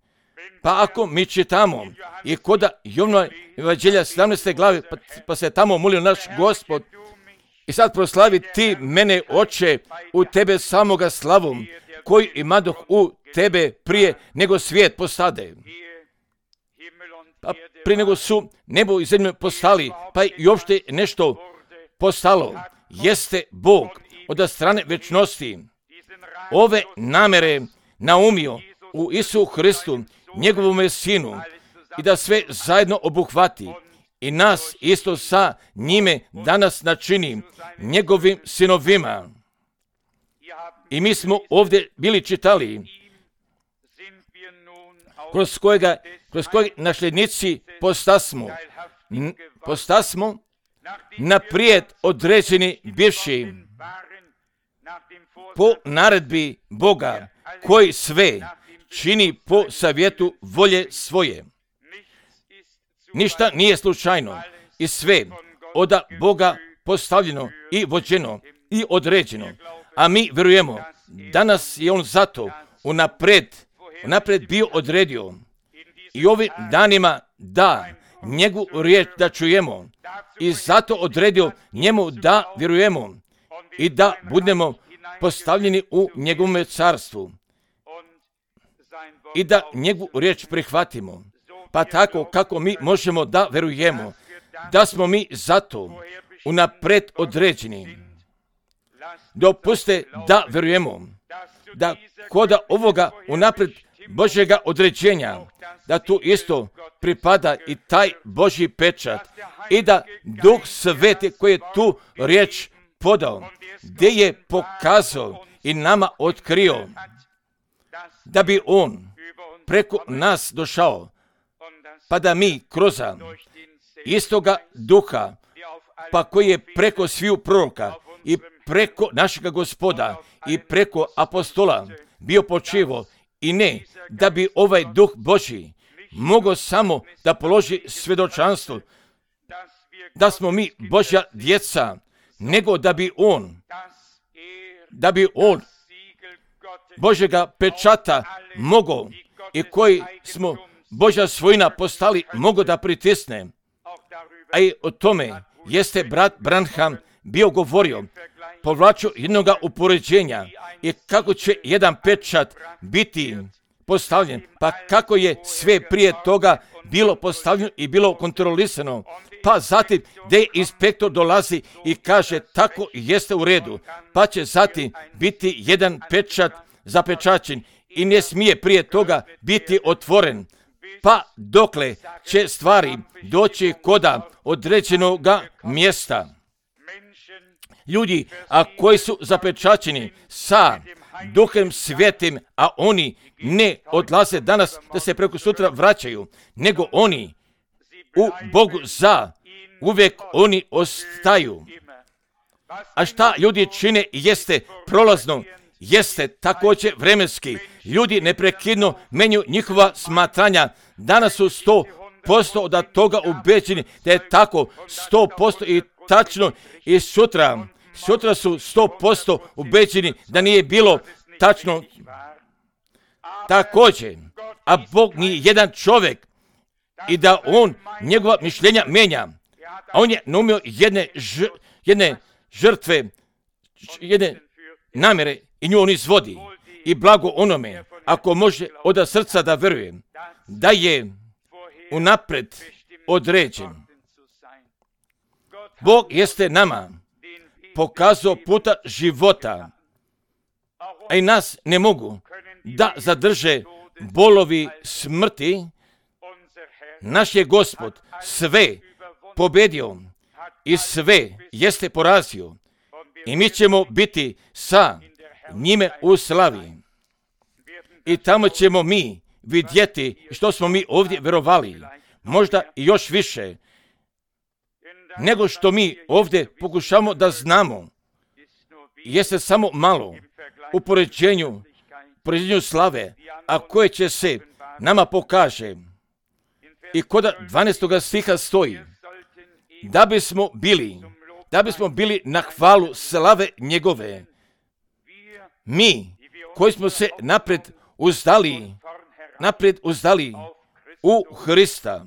Pa ako mi čitamo i koda Jovnova evanđelja sedamnaeste glave, pa, pa se tamo molio naš Gospod, i sad proslavi ti mene, Oče, u tebe samoga slavom, koji imadoh u tebe prije nego svijet postade. Pa prije nego su nebo i zemlju postali, pa i uopšte nešto postalo, jeste Bog od strane večnosti ove namere naumio u Isu Hristu, njegovome sinu, i da sve zajedno obuhvati i nas isto sa njime danas načini njegovim sinovima. I mi smo ovdje bili čitali, kroz kojega, kroz kojeg nasljednici postasmo, n- postasmo naprijed određeni bivši po naredbi Boga, koji sve čini po savjetu volje svoje. Ništa nije slučajno i sve od Boga postavljeno i vođeno i određeno. A mi vjerujemo, danas je on zato unaprijed, unaprijed bio odredio i ovim danima da njegovu riječ da čujemo i zato odredio njemu da vjerujemo i da budemo postavljeni u njegovom carstvu i da njegovu riječ prihvatimo. Pa tako kako mi možemo da vjerujemo, da smo mi zato unaprijed određeni. Dopuste da vjerujemo, da koda ovoga unaprijed Božjega određenja, da tu isto pripada i taj Božji pečat i da Duh Sveti koji je tu riječ podao, gdje je pokazao i nama otkrio, da bi On preko nas došao, pa da mi kroz istoga Duha, pa koji je preko sviju proroka i preko našega Gospoda i preko apostola bio počivo, i ne da bi ovaj Duh Božji mogao samo da položi svjedočanstvo da smo mi Božja djeca, nego da bi On, da bi On Božjega pečata mogao i koji smo Božja svojina postali, mogao da pritisne. A i o tome jeste brat Branham bio govorio, povlačio jednoga upoređenja i kako će jedan pečat biti postavljen, pa kako je sve prije toga bilo postavljeno i bilo kontrolisano, pa zatim gdje inspektor dolazi i kaže tako jeste u redu, pa će zatim biti jedan pečat zapečaćen i ne smije prije toga biti otvoren, pa dokle će stvari doći koda određenoga mjesta. Ljudi, a koji su zapečaćeni sa Duhem Svetim, a oni ne odlaze danas da se preko sutra vraćaju, nego oni u Bogu za uvijek oni ostaju. A šta ljudi čine jeste prolazno, jeste također vremenski. Ljudi neprekidno menju njihova smatranja. Danas su sto posto od toga ubeđeni da je tako, sto posto i tačno, i sutra, sutra su sto posto ubeđeni da nije bilo tačno. Također, a Bog nije jedan čovjek i da On njegova mišljenja menja. A On je naumio jedne, ž, jedne žrtve, jedne namjere i nju On izvodi. I blago onome, ako može od srca da veruje, da je unapred određen. Bog jeste nama pokazao puta života, a i nas ne mogu da zadrže bolovi smrti. Naš je Gospod sve pobedio i sve jeste porazio i mi ćemo biti sa njime u slavi. I tamo ćemo mi vidjeti što smo mi ovdje verovali, možda i još više, nego što mi ovdje pokušamo da znamo. Jeste samo malo u poređenju, poređenju slave, a koje će se nama pokaže. I kod dvanaestog stiha stoji, da bismo bili, da bismo bili na hvalu slave njegove. Mi, koji smo se napred uzdali, napred uzdali u Hrista.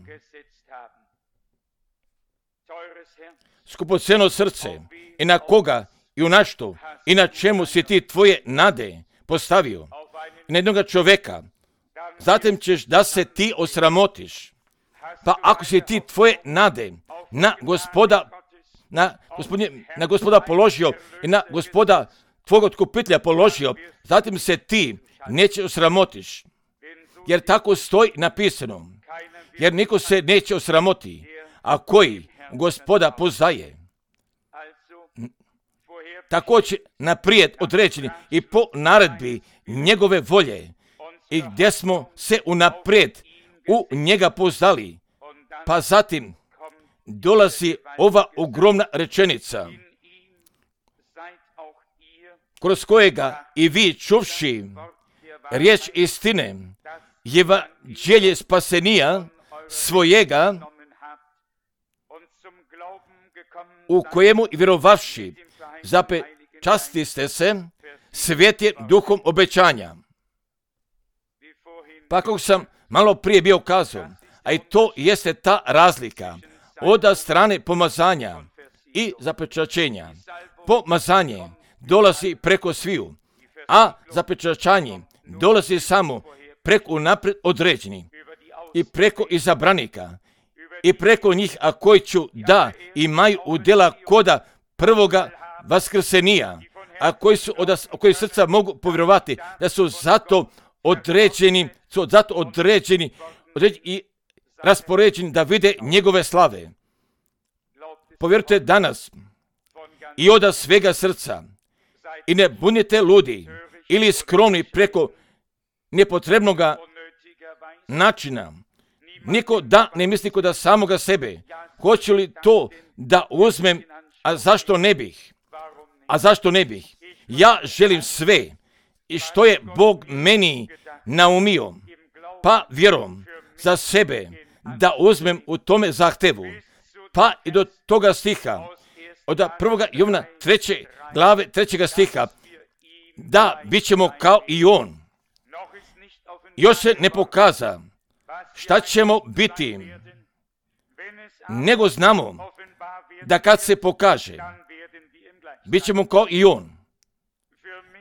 Skupoceno srce, i na koga, i u našto, i na čemu si ti tvoje nade postavio, i na jednoga čovjeka, zatim ćeš da se ti osramotiš. Pa ako si ti tvoje nade na gospoda, na gospodine, na gospoda položio i na gospoda tvog otkupitelja položio, zatim se ti neće osramotiš. Jer tako stoji napisano. Jer niko se neće osramoti, a koji gospoda poznaje. Također naprijed određeni i po naredbi njegove volje i gdje smo se unaprijed u njega poznali. Pa zatim dolazi ova ogromna rečenica, kroz kojega i vi čuvši riječ istine, evanđelje spasenija svojega, u kojemu i vjerovavši zapečasti ste se svjetim duhom obećanja. Pa kako sam malo prije bio kazao, a i to jeste ta razlika od strane pomazanja i zapečaćenja. Pomazanje dolazi preko sviju, a zapečaćanje dolazi samo preko napred određeni i preko izabranika i preko njih, a koji ću da imaju udjela koda prvoga vaskrsenija, a koji su od koji srca mogu povjerovati da su zato određeni, su zato određeni, određeni i raspoređeni da vide njegove slave. Povjerujte danas i od svega srca i ne budite ludi ili skromni preko nepotrebnoga načina. Niko da ne misli kod samoga sebe. Hoću li to da uzmem, a zašto ne bih? A zašto ne bih? Ja želim sve i što je Bog meni naumio, pa vjerom za sebe da uzmem u tome zahtevu. Pa i do toga stiha, od prvoga Jovana treće glave trećega stiha, da bit ćemo kao i on. Još se ne pokaza šta ćemo biti, nego znamo da kad se pokaže, bit ćemo kao i on.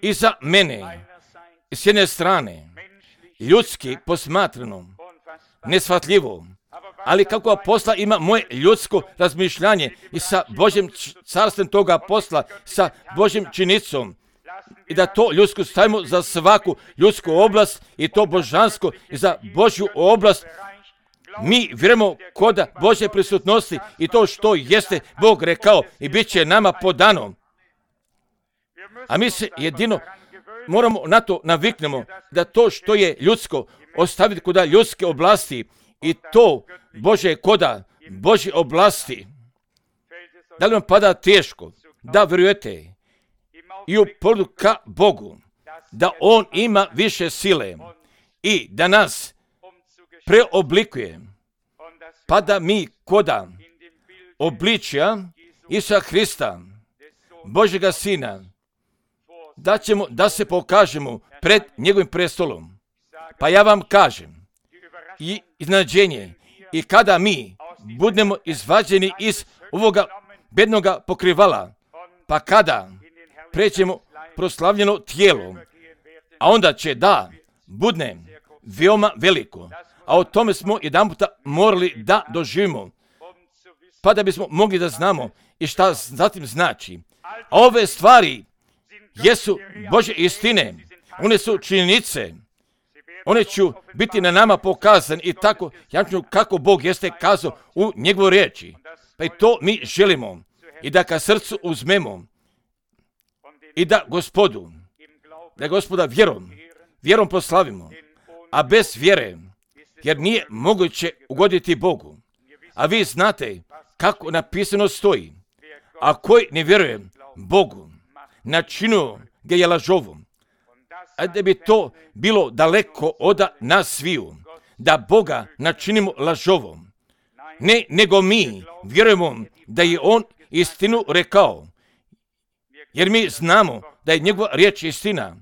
I za mene, s jedne strane, ljudski posmatrano, neshvatljivo, ali kako posla ima moje ljudsko razmišljanje i sa Božjim carstvom toga posla, sa Božjim činicom, i da to ljudsko stavimo za svaku ljudsku oblast i to božansko i za Božju oblast. Mi vjerujemo kod Božje prisutnosti i to što jeste Bog rekao i bit će nama podano. A mi se jedino moramo na to naviknemo da to što je ljudsko ostaviti kod ljudske oblasti i to Božje koda Božje oblasti. Da li vam pada teško da vjerujete i u pogledu ka Bogu, da On ima više sile i da nas preoblikuje, pa da mi koda obličja Isusa Hrista, Božjega Sina, da ćemo da se pokažemo pred njegovim prestolom. Pa ja vam kažem, i iznenađenje, i kada mi budemo izvađeni iz ovoga bednoga pokrivala, pa kada prećemo proslavljeno tijelo, a onda će da budne veoma veliko, a o tome smo jedan puta morali da doživimo, pa da bismo mogli da znamo i šta zatim znači. A ove stvari jesu Božje istine, one su činjenice, one će biti na nama pokazane i tako jasno kako Bog jeste kazao u njegovoj riječi. Pa i to mi želimo i da ka srcu uzmemo i da Gospodu, da Gospoda vjerom, vjerom proslavimo, a bez vjere, jer nije moguće ugoditi Bogu. A vi znate kako napisano stoji, a koji ne vjeruje Bogu, načinu ga je lažovom. A da bi to bilo daleko od nas sviju, da Boga načinimo lažovom. Ne, nego mi vjerujemo da je On istinu rekao, jer mi znamo da je njegova riječ istina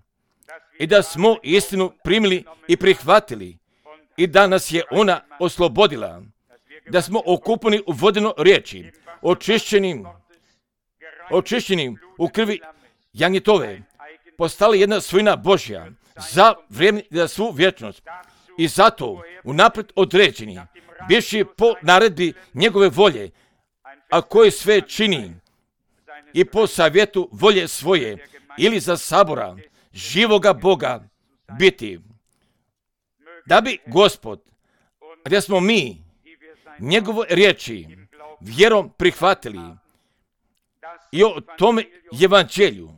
i da smo istinu primili i prihvatili i da nas je ona oslobodila, da smo okupani u vodeno riječi, očišćenim, očišćenim u krvi jagnjetove, postali jedna svojina Božja za vrijeme i za svu vječnost. I zato unaprijed određeni, bivši po naredbi njegove volje, a koji sve čini i po savjetu volje svoje ili za sabora živoga Boga biti. Da bi Gospod, gdje smo mi njegove riječi vjerom prihvatili i o tome evanđelju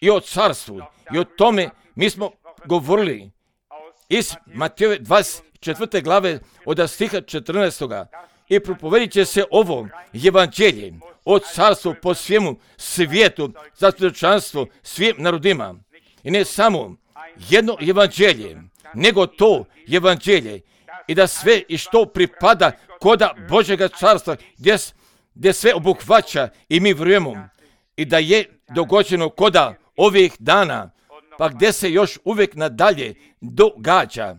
i o carstvu i o tome mi smo govorili iz Matejove dvadeset četvrte glave od stiha četrnaestoga i propovedit će se ovo evanđelje o carstvu po svijemu svijetu za svjedočanstvo svim narodima. I ne samo jedno evanđelje, nego to evanđelje i da sve i što pripada koda Božjega carstva gdje, gdje sve obuhvaća i mi vjerujemo i da je dogođeno koda ovih dana, pa gdje se još uvijek nadalje događa.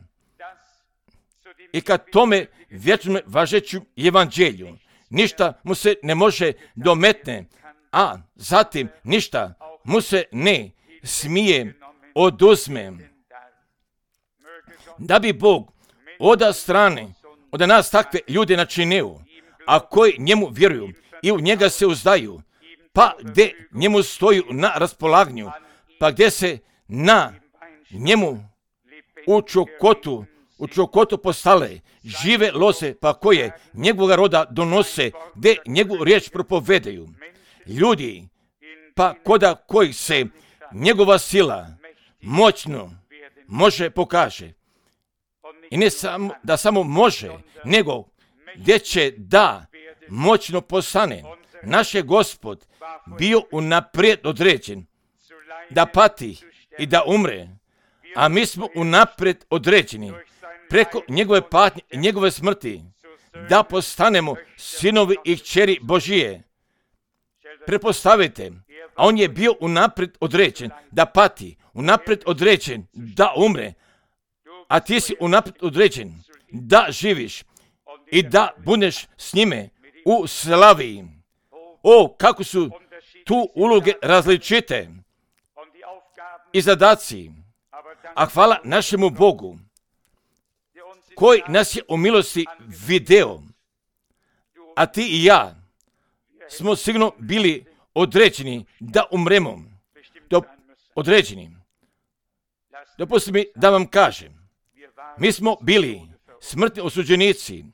I kad tome vječnom važeću evanđelju ništa mu se ne može dometne, a zatim ništa mu se ne smije oduzme. Da bi Bog od strane, od nas takve ljude načinio, a koji njemu vjeruju i u njega se uzdaju, pa gdje njemu stoju na raspolaganju, pa gdje se na njemu u čokotu, u čokotu postale žive lose, pa koje njegovoga roda donose, gdje njegovu riječ propovedaju. Ljudi, pa koda kojih se njegova sila moćno može pokaže. I ne samo, da samo može, nego gdje će da moćno postane. Naš je Gospod bio unaprijed određen da pati i da umre, a mi smo unaprijed određeni preko njegove patnje i njegove smrti da postanemo sinovi i kćeri Božije. Prepostavite, a on je bio unaprijed određen da pati, unaprijed određen da umre, a ti si unaprijed određen da živiš i da budeš s njime u slavi. O, kako su tu uloge različite i zadaci, a hvala našemu Bogu koji nas je u milosti video, a ti i ja smo sigurno bili određeni da umremo. Do, određeni. Dopustite mi da vam kažem, mi smo bili smrtni osuđenici,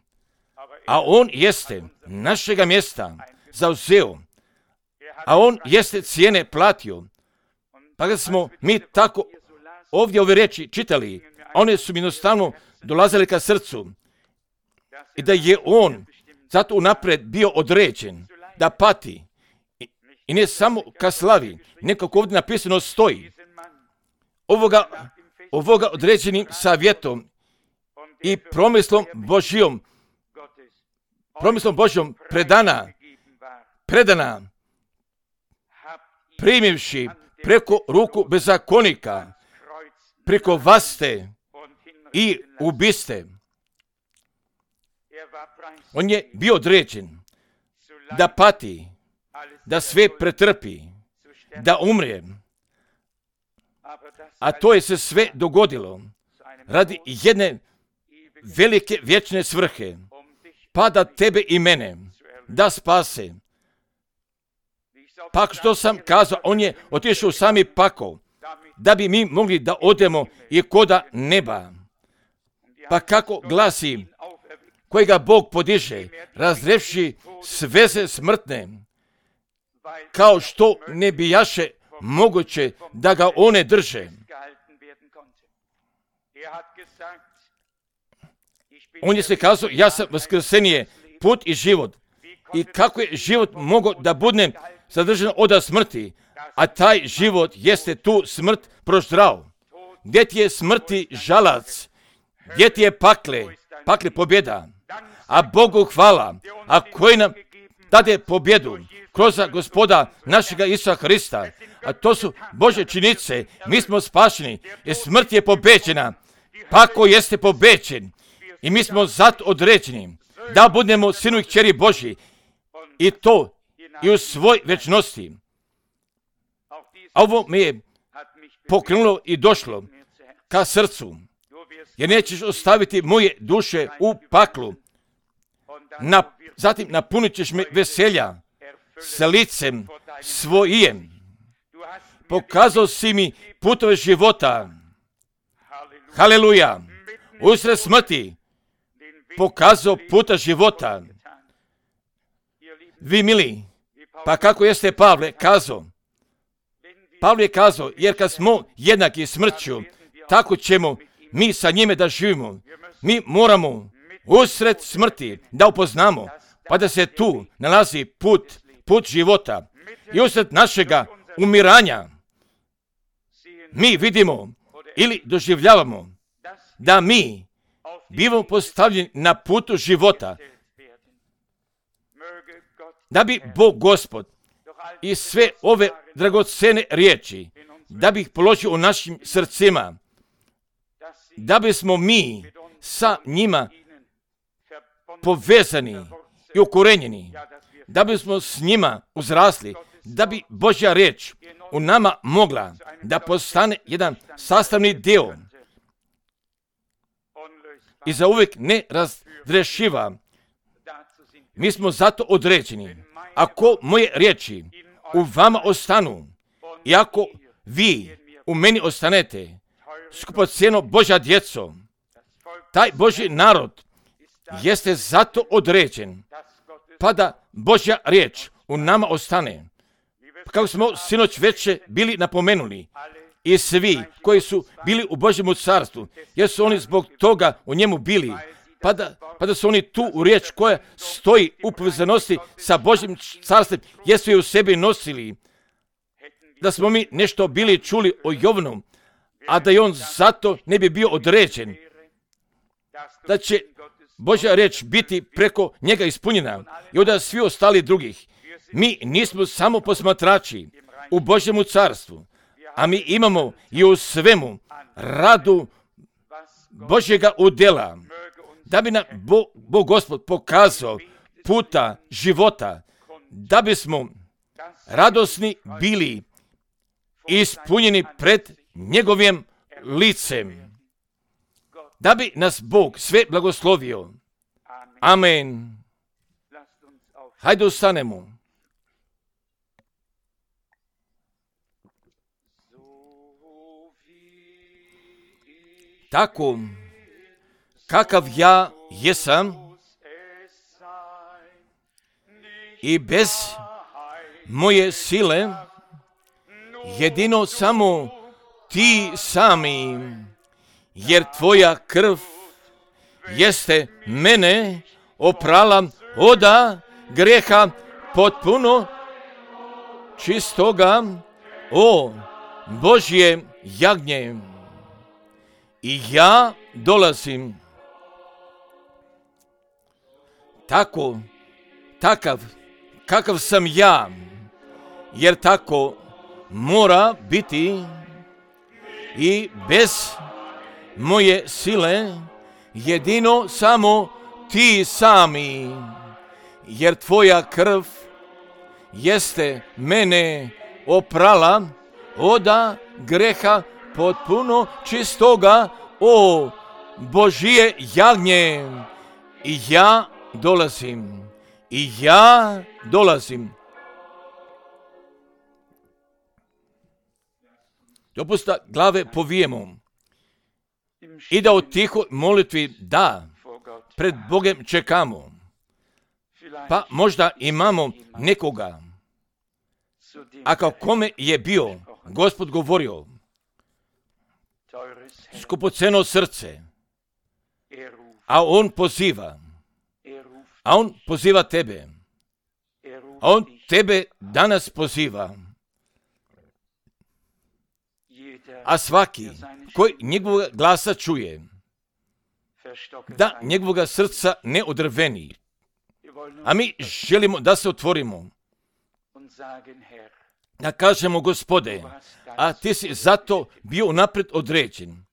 a on jeste našega mjesta zauzeo, a on jeste cijene platio. Pa kad smo mi tako ovdje ove riječi čitali, a one su mi jednostavno dolazile ka srcu i da je on zato unaprijed bio određen da pati i ne samo ka slavi, nekako ovdje napisano stoji. Ovoga, ovoga određenim savjetom i promislom Božjom, promislom Božjom predana, predana, primivši preko ruku bezakonika, preko vaste i ubiste. On je bio određen da pati, da sve pretrpi, da umre. A to je se sve dogodilo radi jedne velike vječne svrhe, pa da tebe i mene da spase. Pa što sam kazao, on je otišao u sami pakao, da bi mi mogli da odemo i koda neba. Pa kako glasi, kojega Bog podiže, razrevši sveze smrtne, kao što ne bijaše moguće da ga one drže. On je se kazao, ja sam vaskrsenje, put i život. I kako je život mogao da bude sadržan od smrti, a taj život jeste tu smrt proždrao. Gdje ti je smrti žalac, gdje ti je pakle, pakle pobjeda, a Bogu hvala, a koji nam dade pobjedu kroz Gospoda našega Isusa Hrista, a to su Božje činice, mi smo spašeni i smrt je pobeđena, pako jeste pobeđen i mi smo zato određeni da budemo sinu i kćeri Božji i to i u svoj večnosti. A ovo me je pokrenulo i došlo ka srcu, jer nećeš ostaviti moje duše u paklu. Na, zatim napunit ćeš me veselja s licem svojim. Pokazao si mi putove života. Haleluja. Usred smrti pokazao puta života. Vi mili, pa kako jeste Pavle kazao? Pavle je kazao, jer kad smo jednaki smrću, tako ćemo mi sa njime da živimo. Mi moramo usred smrti da upoznamo, pa da se tu nalazi put, put života. I usred našega umiranja mi vidimo ili doživljavamo da mi bivamo postavljeni na putu života. Da bi Bog Gospod i sve ove dragocene riječi, da bi ih položio u našim srcima, da bismo mi sa njima povezani i ukorenjeni, da bismo s njima uzrasli, da bi Božja riječ u nama mogla da postane jedan sastavni dio i za uvijek ne razrešiva. Mi smo zato određeni. Ako moje riječi u vama ostanu i ako vi u meni ostanete, skupocjeno Božja djeco, taj Božji narod jeste zato određen, pa da Božja riječ u nama ostane. Kako smo sinoć večer bili napomenuli, i svi koji su bili u Božjemu carstvu, jer su oni zbog toga u njemu bili, pa da, pa da su oni tu u riječ koja stoji u povezanosti sa Božjim carstvom, jesu je u sebi nosili. Da smo mi nešto bili čuli o Jovnu, a da je on zato ne bi bio određen, da će Božja riječ biti preko njega ispunjena i onda svi ostali drugih. Mi nismo samo posmatrači u Božjemu carstvu, a mi imamo i u svemu radu Božjega udjela, da bi nam Bog, Bog Gospod pokazao puta života, da bismo radosni bili ispunjeni pred njegovim licem, da bi nas Bog sve blagoslovio. Amen. Hajde ustanemo. Tako, kakav ja jesam, i bez moje sile, jedino samo ti sami, jer tvoja krv jeste mene oprala oda greha potpuno čistoga, o Božje jagnje. I ja dolazim tako, takav, kakav sam ja, jer tako mora biti i bez moje sile, jedino samo ti sami, jer tvoja krv jeste mene oprala oda greha potpuno čistoga, o Božje jagnje. I ja dolazim, i ja dolazim. Dopusta glave povijemo i da u tihoj molitvi da pred Bogem čekamo. Pa možda imamo nekoga, a kao kome je bio Gospod govorio, skupoceno srce, a on poziva, a on poziva tebe, a on tebe danas poziva. A svaki koji njegovog glasa čuje, da njegovog srca ne odrveni. A mi želimo da se otvorimo, da kažemo, Gospode, a ti si zato bio unaprijed određen,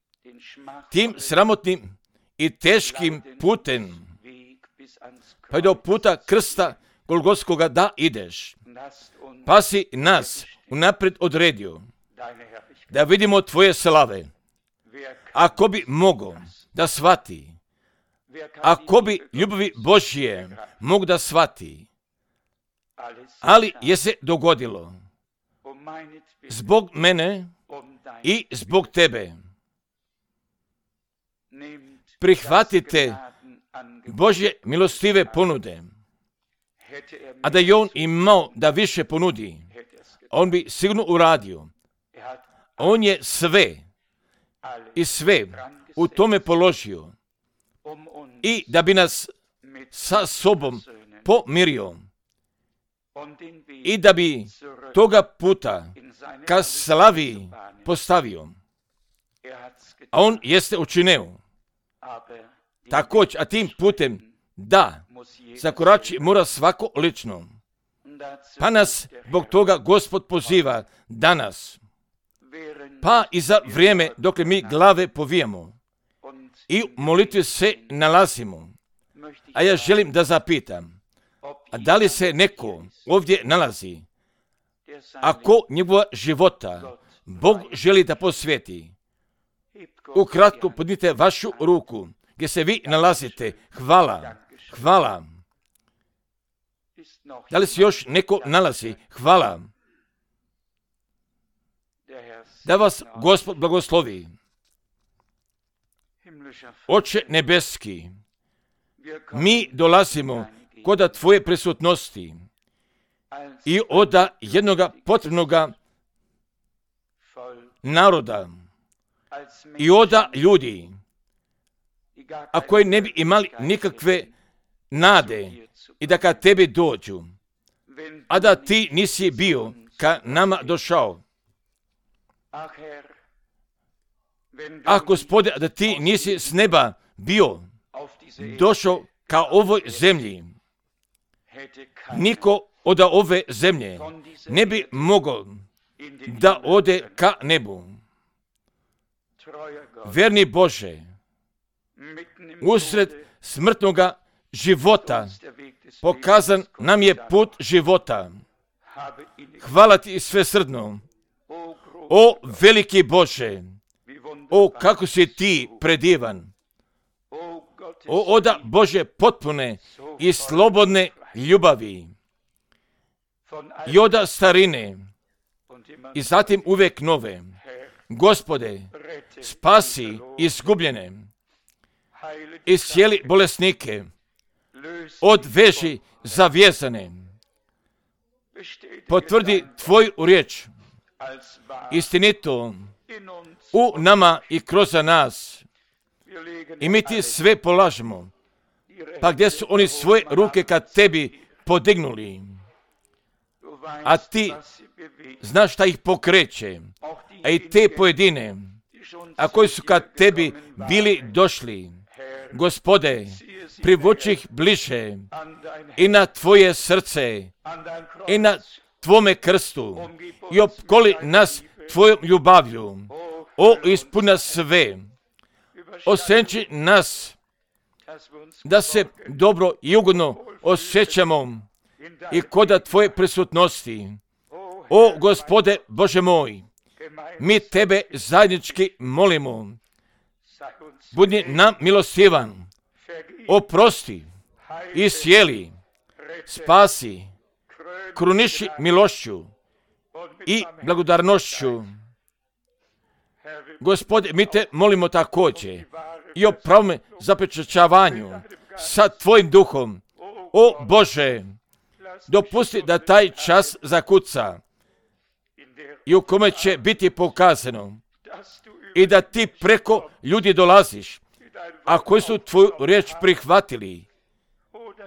tim sramotnim i teškim putem, pa do puta krsta Golgotskoga da ideš, pa si nas unaprijed odredio, da vidimo tvoje slave. Ako bi mogao da shvati, ako bi ljubavi Božje mogu da shvati, ali je se dogodilo zbog mene i zbog tebe. Prihvatite Božje milostive ponude, a da je on imao da više ponudi, on bi sigurno uradio. On je sve i sve u tome položio i da bi nas sa sobom pomirio i da bi toga puta ka slavi postavio. A on jeste učinio. Također, a tim putem da zakorači mora svako lično. Pa nas zbog toga Gospod poziva danas. Pa i za vrijeme dok mi glave povijemo i u molitvi se nalazimo. A ja želim da zapitam, a da li se neko ovdje nalazi, ako njegova života Bog želi da posvijeti? Ukratko podnite vašu ruku gdje se vi nalazite. Hvala, hvala. Da li se još neko nalazi? Hvala. Da vas Gospod blagoslovi. Oče nebeski, mi dolazimo kod Tvoje prisutnosti i od jednoga potrebnoga naroda i od ljudi, a koji ne bi imali nikakve nade i da kad Tebi dođu, a da Ti nisi bio ka nama došao. A Gospode, da Ti nisi s neba bio došao ka ovoj zemlji, niko od ove zemlje ne bi mogao da ode ka nebu. Verni Bože, usred smrtnoga života pokazan nam je put života. Hvala Ti svesrdno. O veliki Bože, o kako si Ti predivan. O oda Bože potpune i slobodne ljubavi i oda starine i zatim uvek nove. Gospode, spasi izgubljene, iscijeli bolesnike, odveži zavjezane, potvrdi Tvoju riječ, istinito u nama i kroz nas. I mi Ti sve polažemo, pa gdje su oni svoje ruke kad Tebi podignuli, a Ti znaš šta ih pokreće, a i te pojedine, a koji su kad Tebi bili došli. Gospode, privuči ih bliže i na Tvoje srce i na Tvome krstu i opkoli nas Tvojom ljubavlju. O, ispuna sve, osenči nas da se dobro i ugodno osjećamo i kod Tvoje prisutnosti. O, Gospode Bože moj, mi Tebe zajednički molimo. Budi nam milostivan, oprosti, iscijeli, spasi, kruniši milošću i blagodarnošću. Gospode, mi Te molimo također i o pravome zapečaćavanju sa Tvojim duhom. O Bože, dopusti da taj čas zakuca i u kome će biti pokazano i da Ti preko ljudi dolaziš, a koji su Tvoju riječ prihvatili.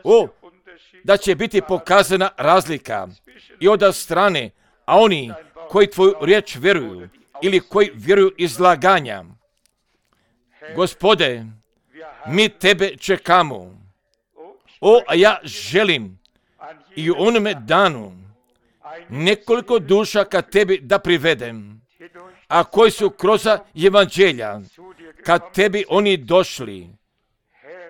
O, da će biti pokazana razlika i od strane, a oni koji Tvoju riječ vjeruju ili koji vjeruju izlaganja. Gospode, mi Tebe čekamo. O, a ja želim i u onome danu nekoliko duša kad Tebi da privedem, a koji su kroz evanđelja kad Tebi oni došli.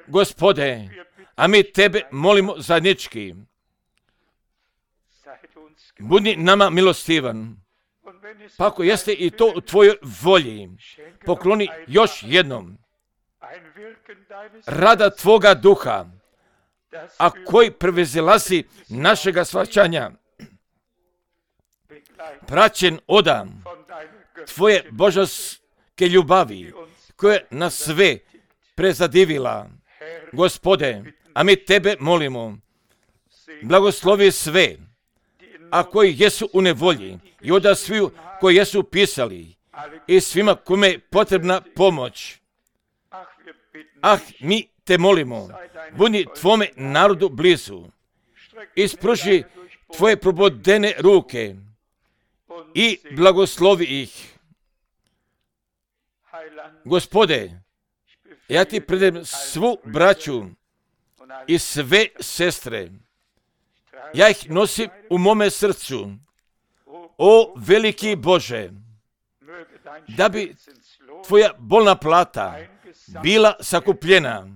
Gospode, a mi Tebe molimo zajednički. Budi nama milostivan. Pa ako jeste i to u Tvojoj volji, pokloni još jednom rada Tvoga duha, a koji prevezilazi našega shvaćanja, praćen odam Tvoje božanske ljubavi, koja nas sve prezadivila. Gospode, a mi Tebe molimo, blagoslovi sve, a koji jesu u nevolji, i oda sviju koji jesu pisali, i svima kome je potrebna pomoć. Ah, mi Te molimo, budi Tvome narodu blizu, ispruži Tvoje probodene ruke i blagoslovi ih. Gospode, ja Ti predem svu braću i sve sestre. Ja ih nosim u mome srcu. O veliki Bože, da bi Tvoja bolna plata bila sakupljena,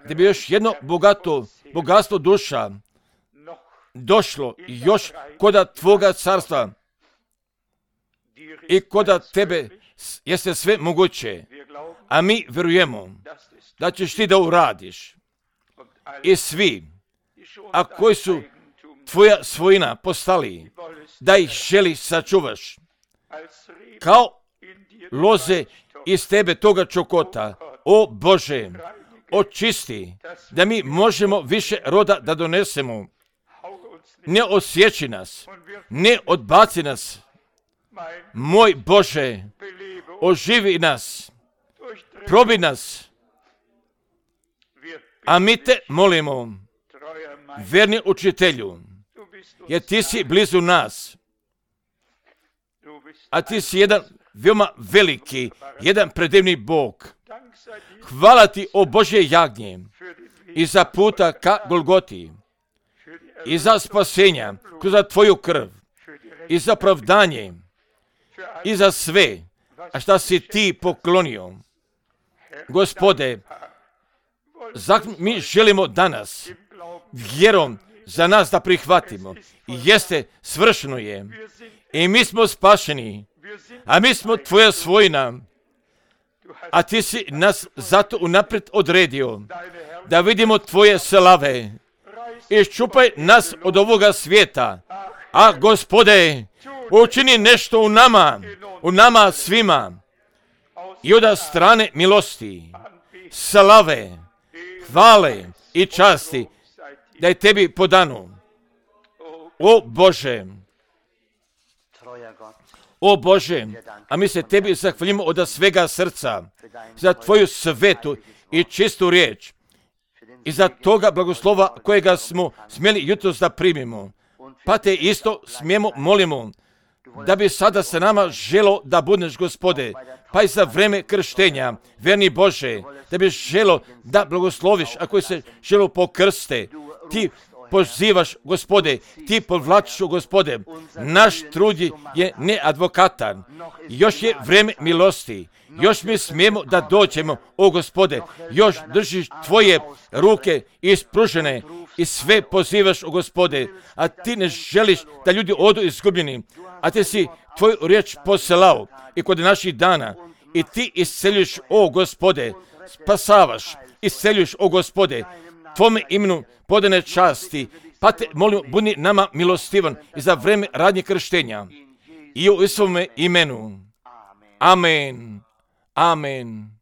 da bi još jedno bogato, bogatstvo duša došlo još koda Tvoga carstva i koda Tebe jeste sve moguće, a mi vjerujemo da ćeš Ti da uradiš i svi, a koji su Tvoja svojina postali, da ih želi sačuvaš, kao loze iz Tebe toga čokota, O Bože, očisti, da mi možemo više roda da donesemo. Ne osjeći nas, ne odbaci nas. Moj Bože, oživi nas, probi nas. A mi te molimo, verni učitelju, jer ti si blizu nas. A ti si jedan veoma veliki, jedan predivni Bog. Hvala ti, o Božje jagnje, i za puta ka Golgoti, i za spasenja kroz tvoju krv, i za pravdanje, i za sve, a šta si ti poklonio. Gospode, zato mi želimo danas vjerom za nas da prihvatimo. I jeste, svršeno je. I mi smo spašeni, a mi smo tvoja svojina. A ti si nas zato unaprijed odredio da vidimo tvoje slave. Iščupaj nas od ovoga svijeta. A Gospode, učini nešto u nama, u nama svima. I od strane milosti, slave, hvale i časti da je tebi podano. O Bože, o Bože, a mi se tebi zahvaljujemo od svega srca za tvoju svetu i čistu riječ i za toga blagoslova kojega smo smjeli jutros da primimo. Pa te isto smijemo molimo da bi sada sa nama želo da budeš, Gospode, pa i za vreme krštenja, verni Bože, da bi želo da blagosloviš, ako se želo pokrste, ti pozivaš, Gospode, ti povlačiš, Gospode, naš trud je neadvokatan, još je vreme milosti, još mi smijemo da dođemo, o Gospode, još držiš tvoje ruke ispružene i sve pozivaš, o Gospode, a ti ne želiš da ljudi odu izgubljeni, a ti si tvoju riječ poslao i kod naših dana i ti isceljuješ, o Gospode, spasavaš, isceljuješ, o Gospode, tvome imenu podane časti, pa te molim, budi nama milostivan i za vreme radnje krštenja i u svome imenu. Amen. Amen.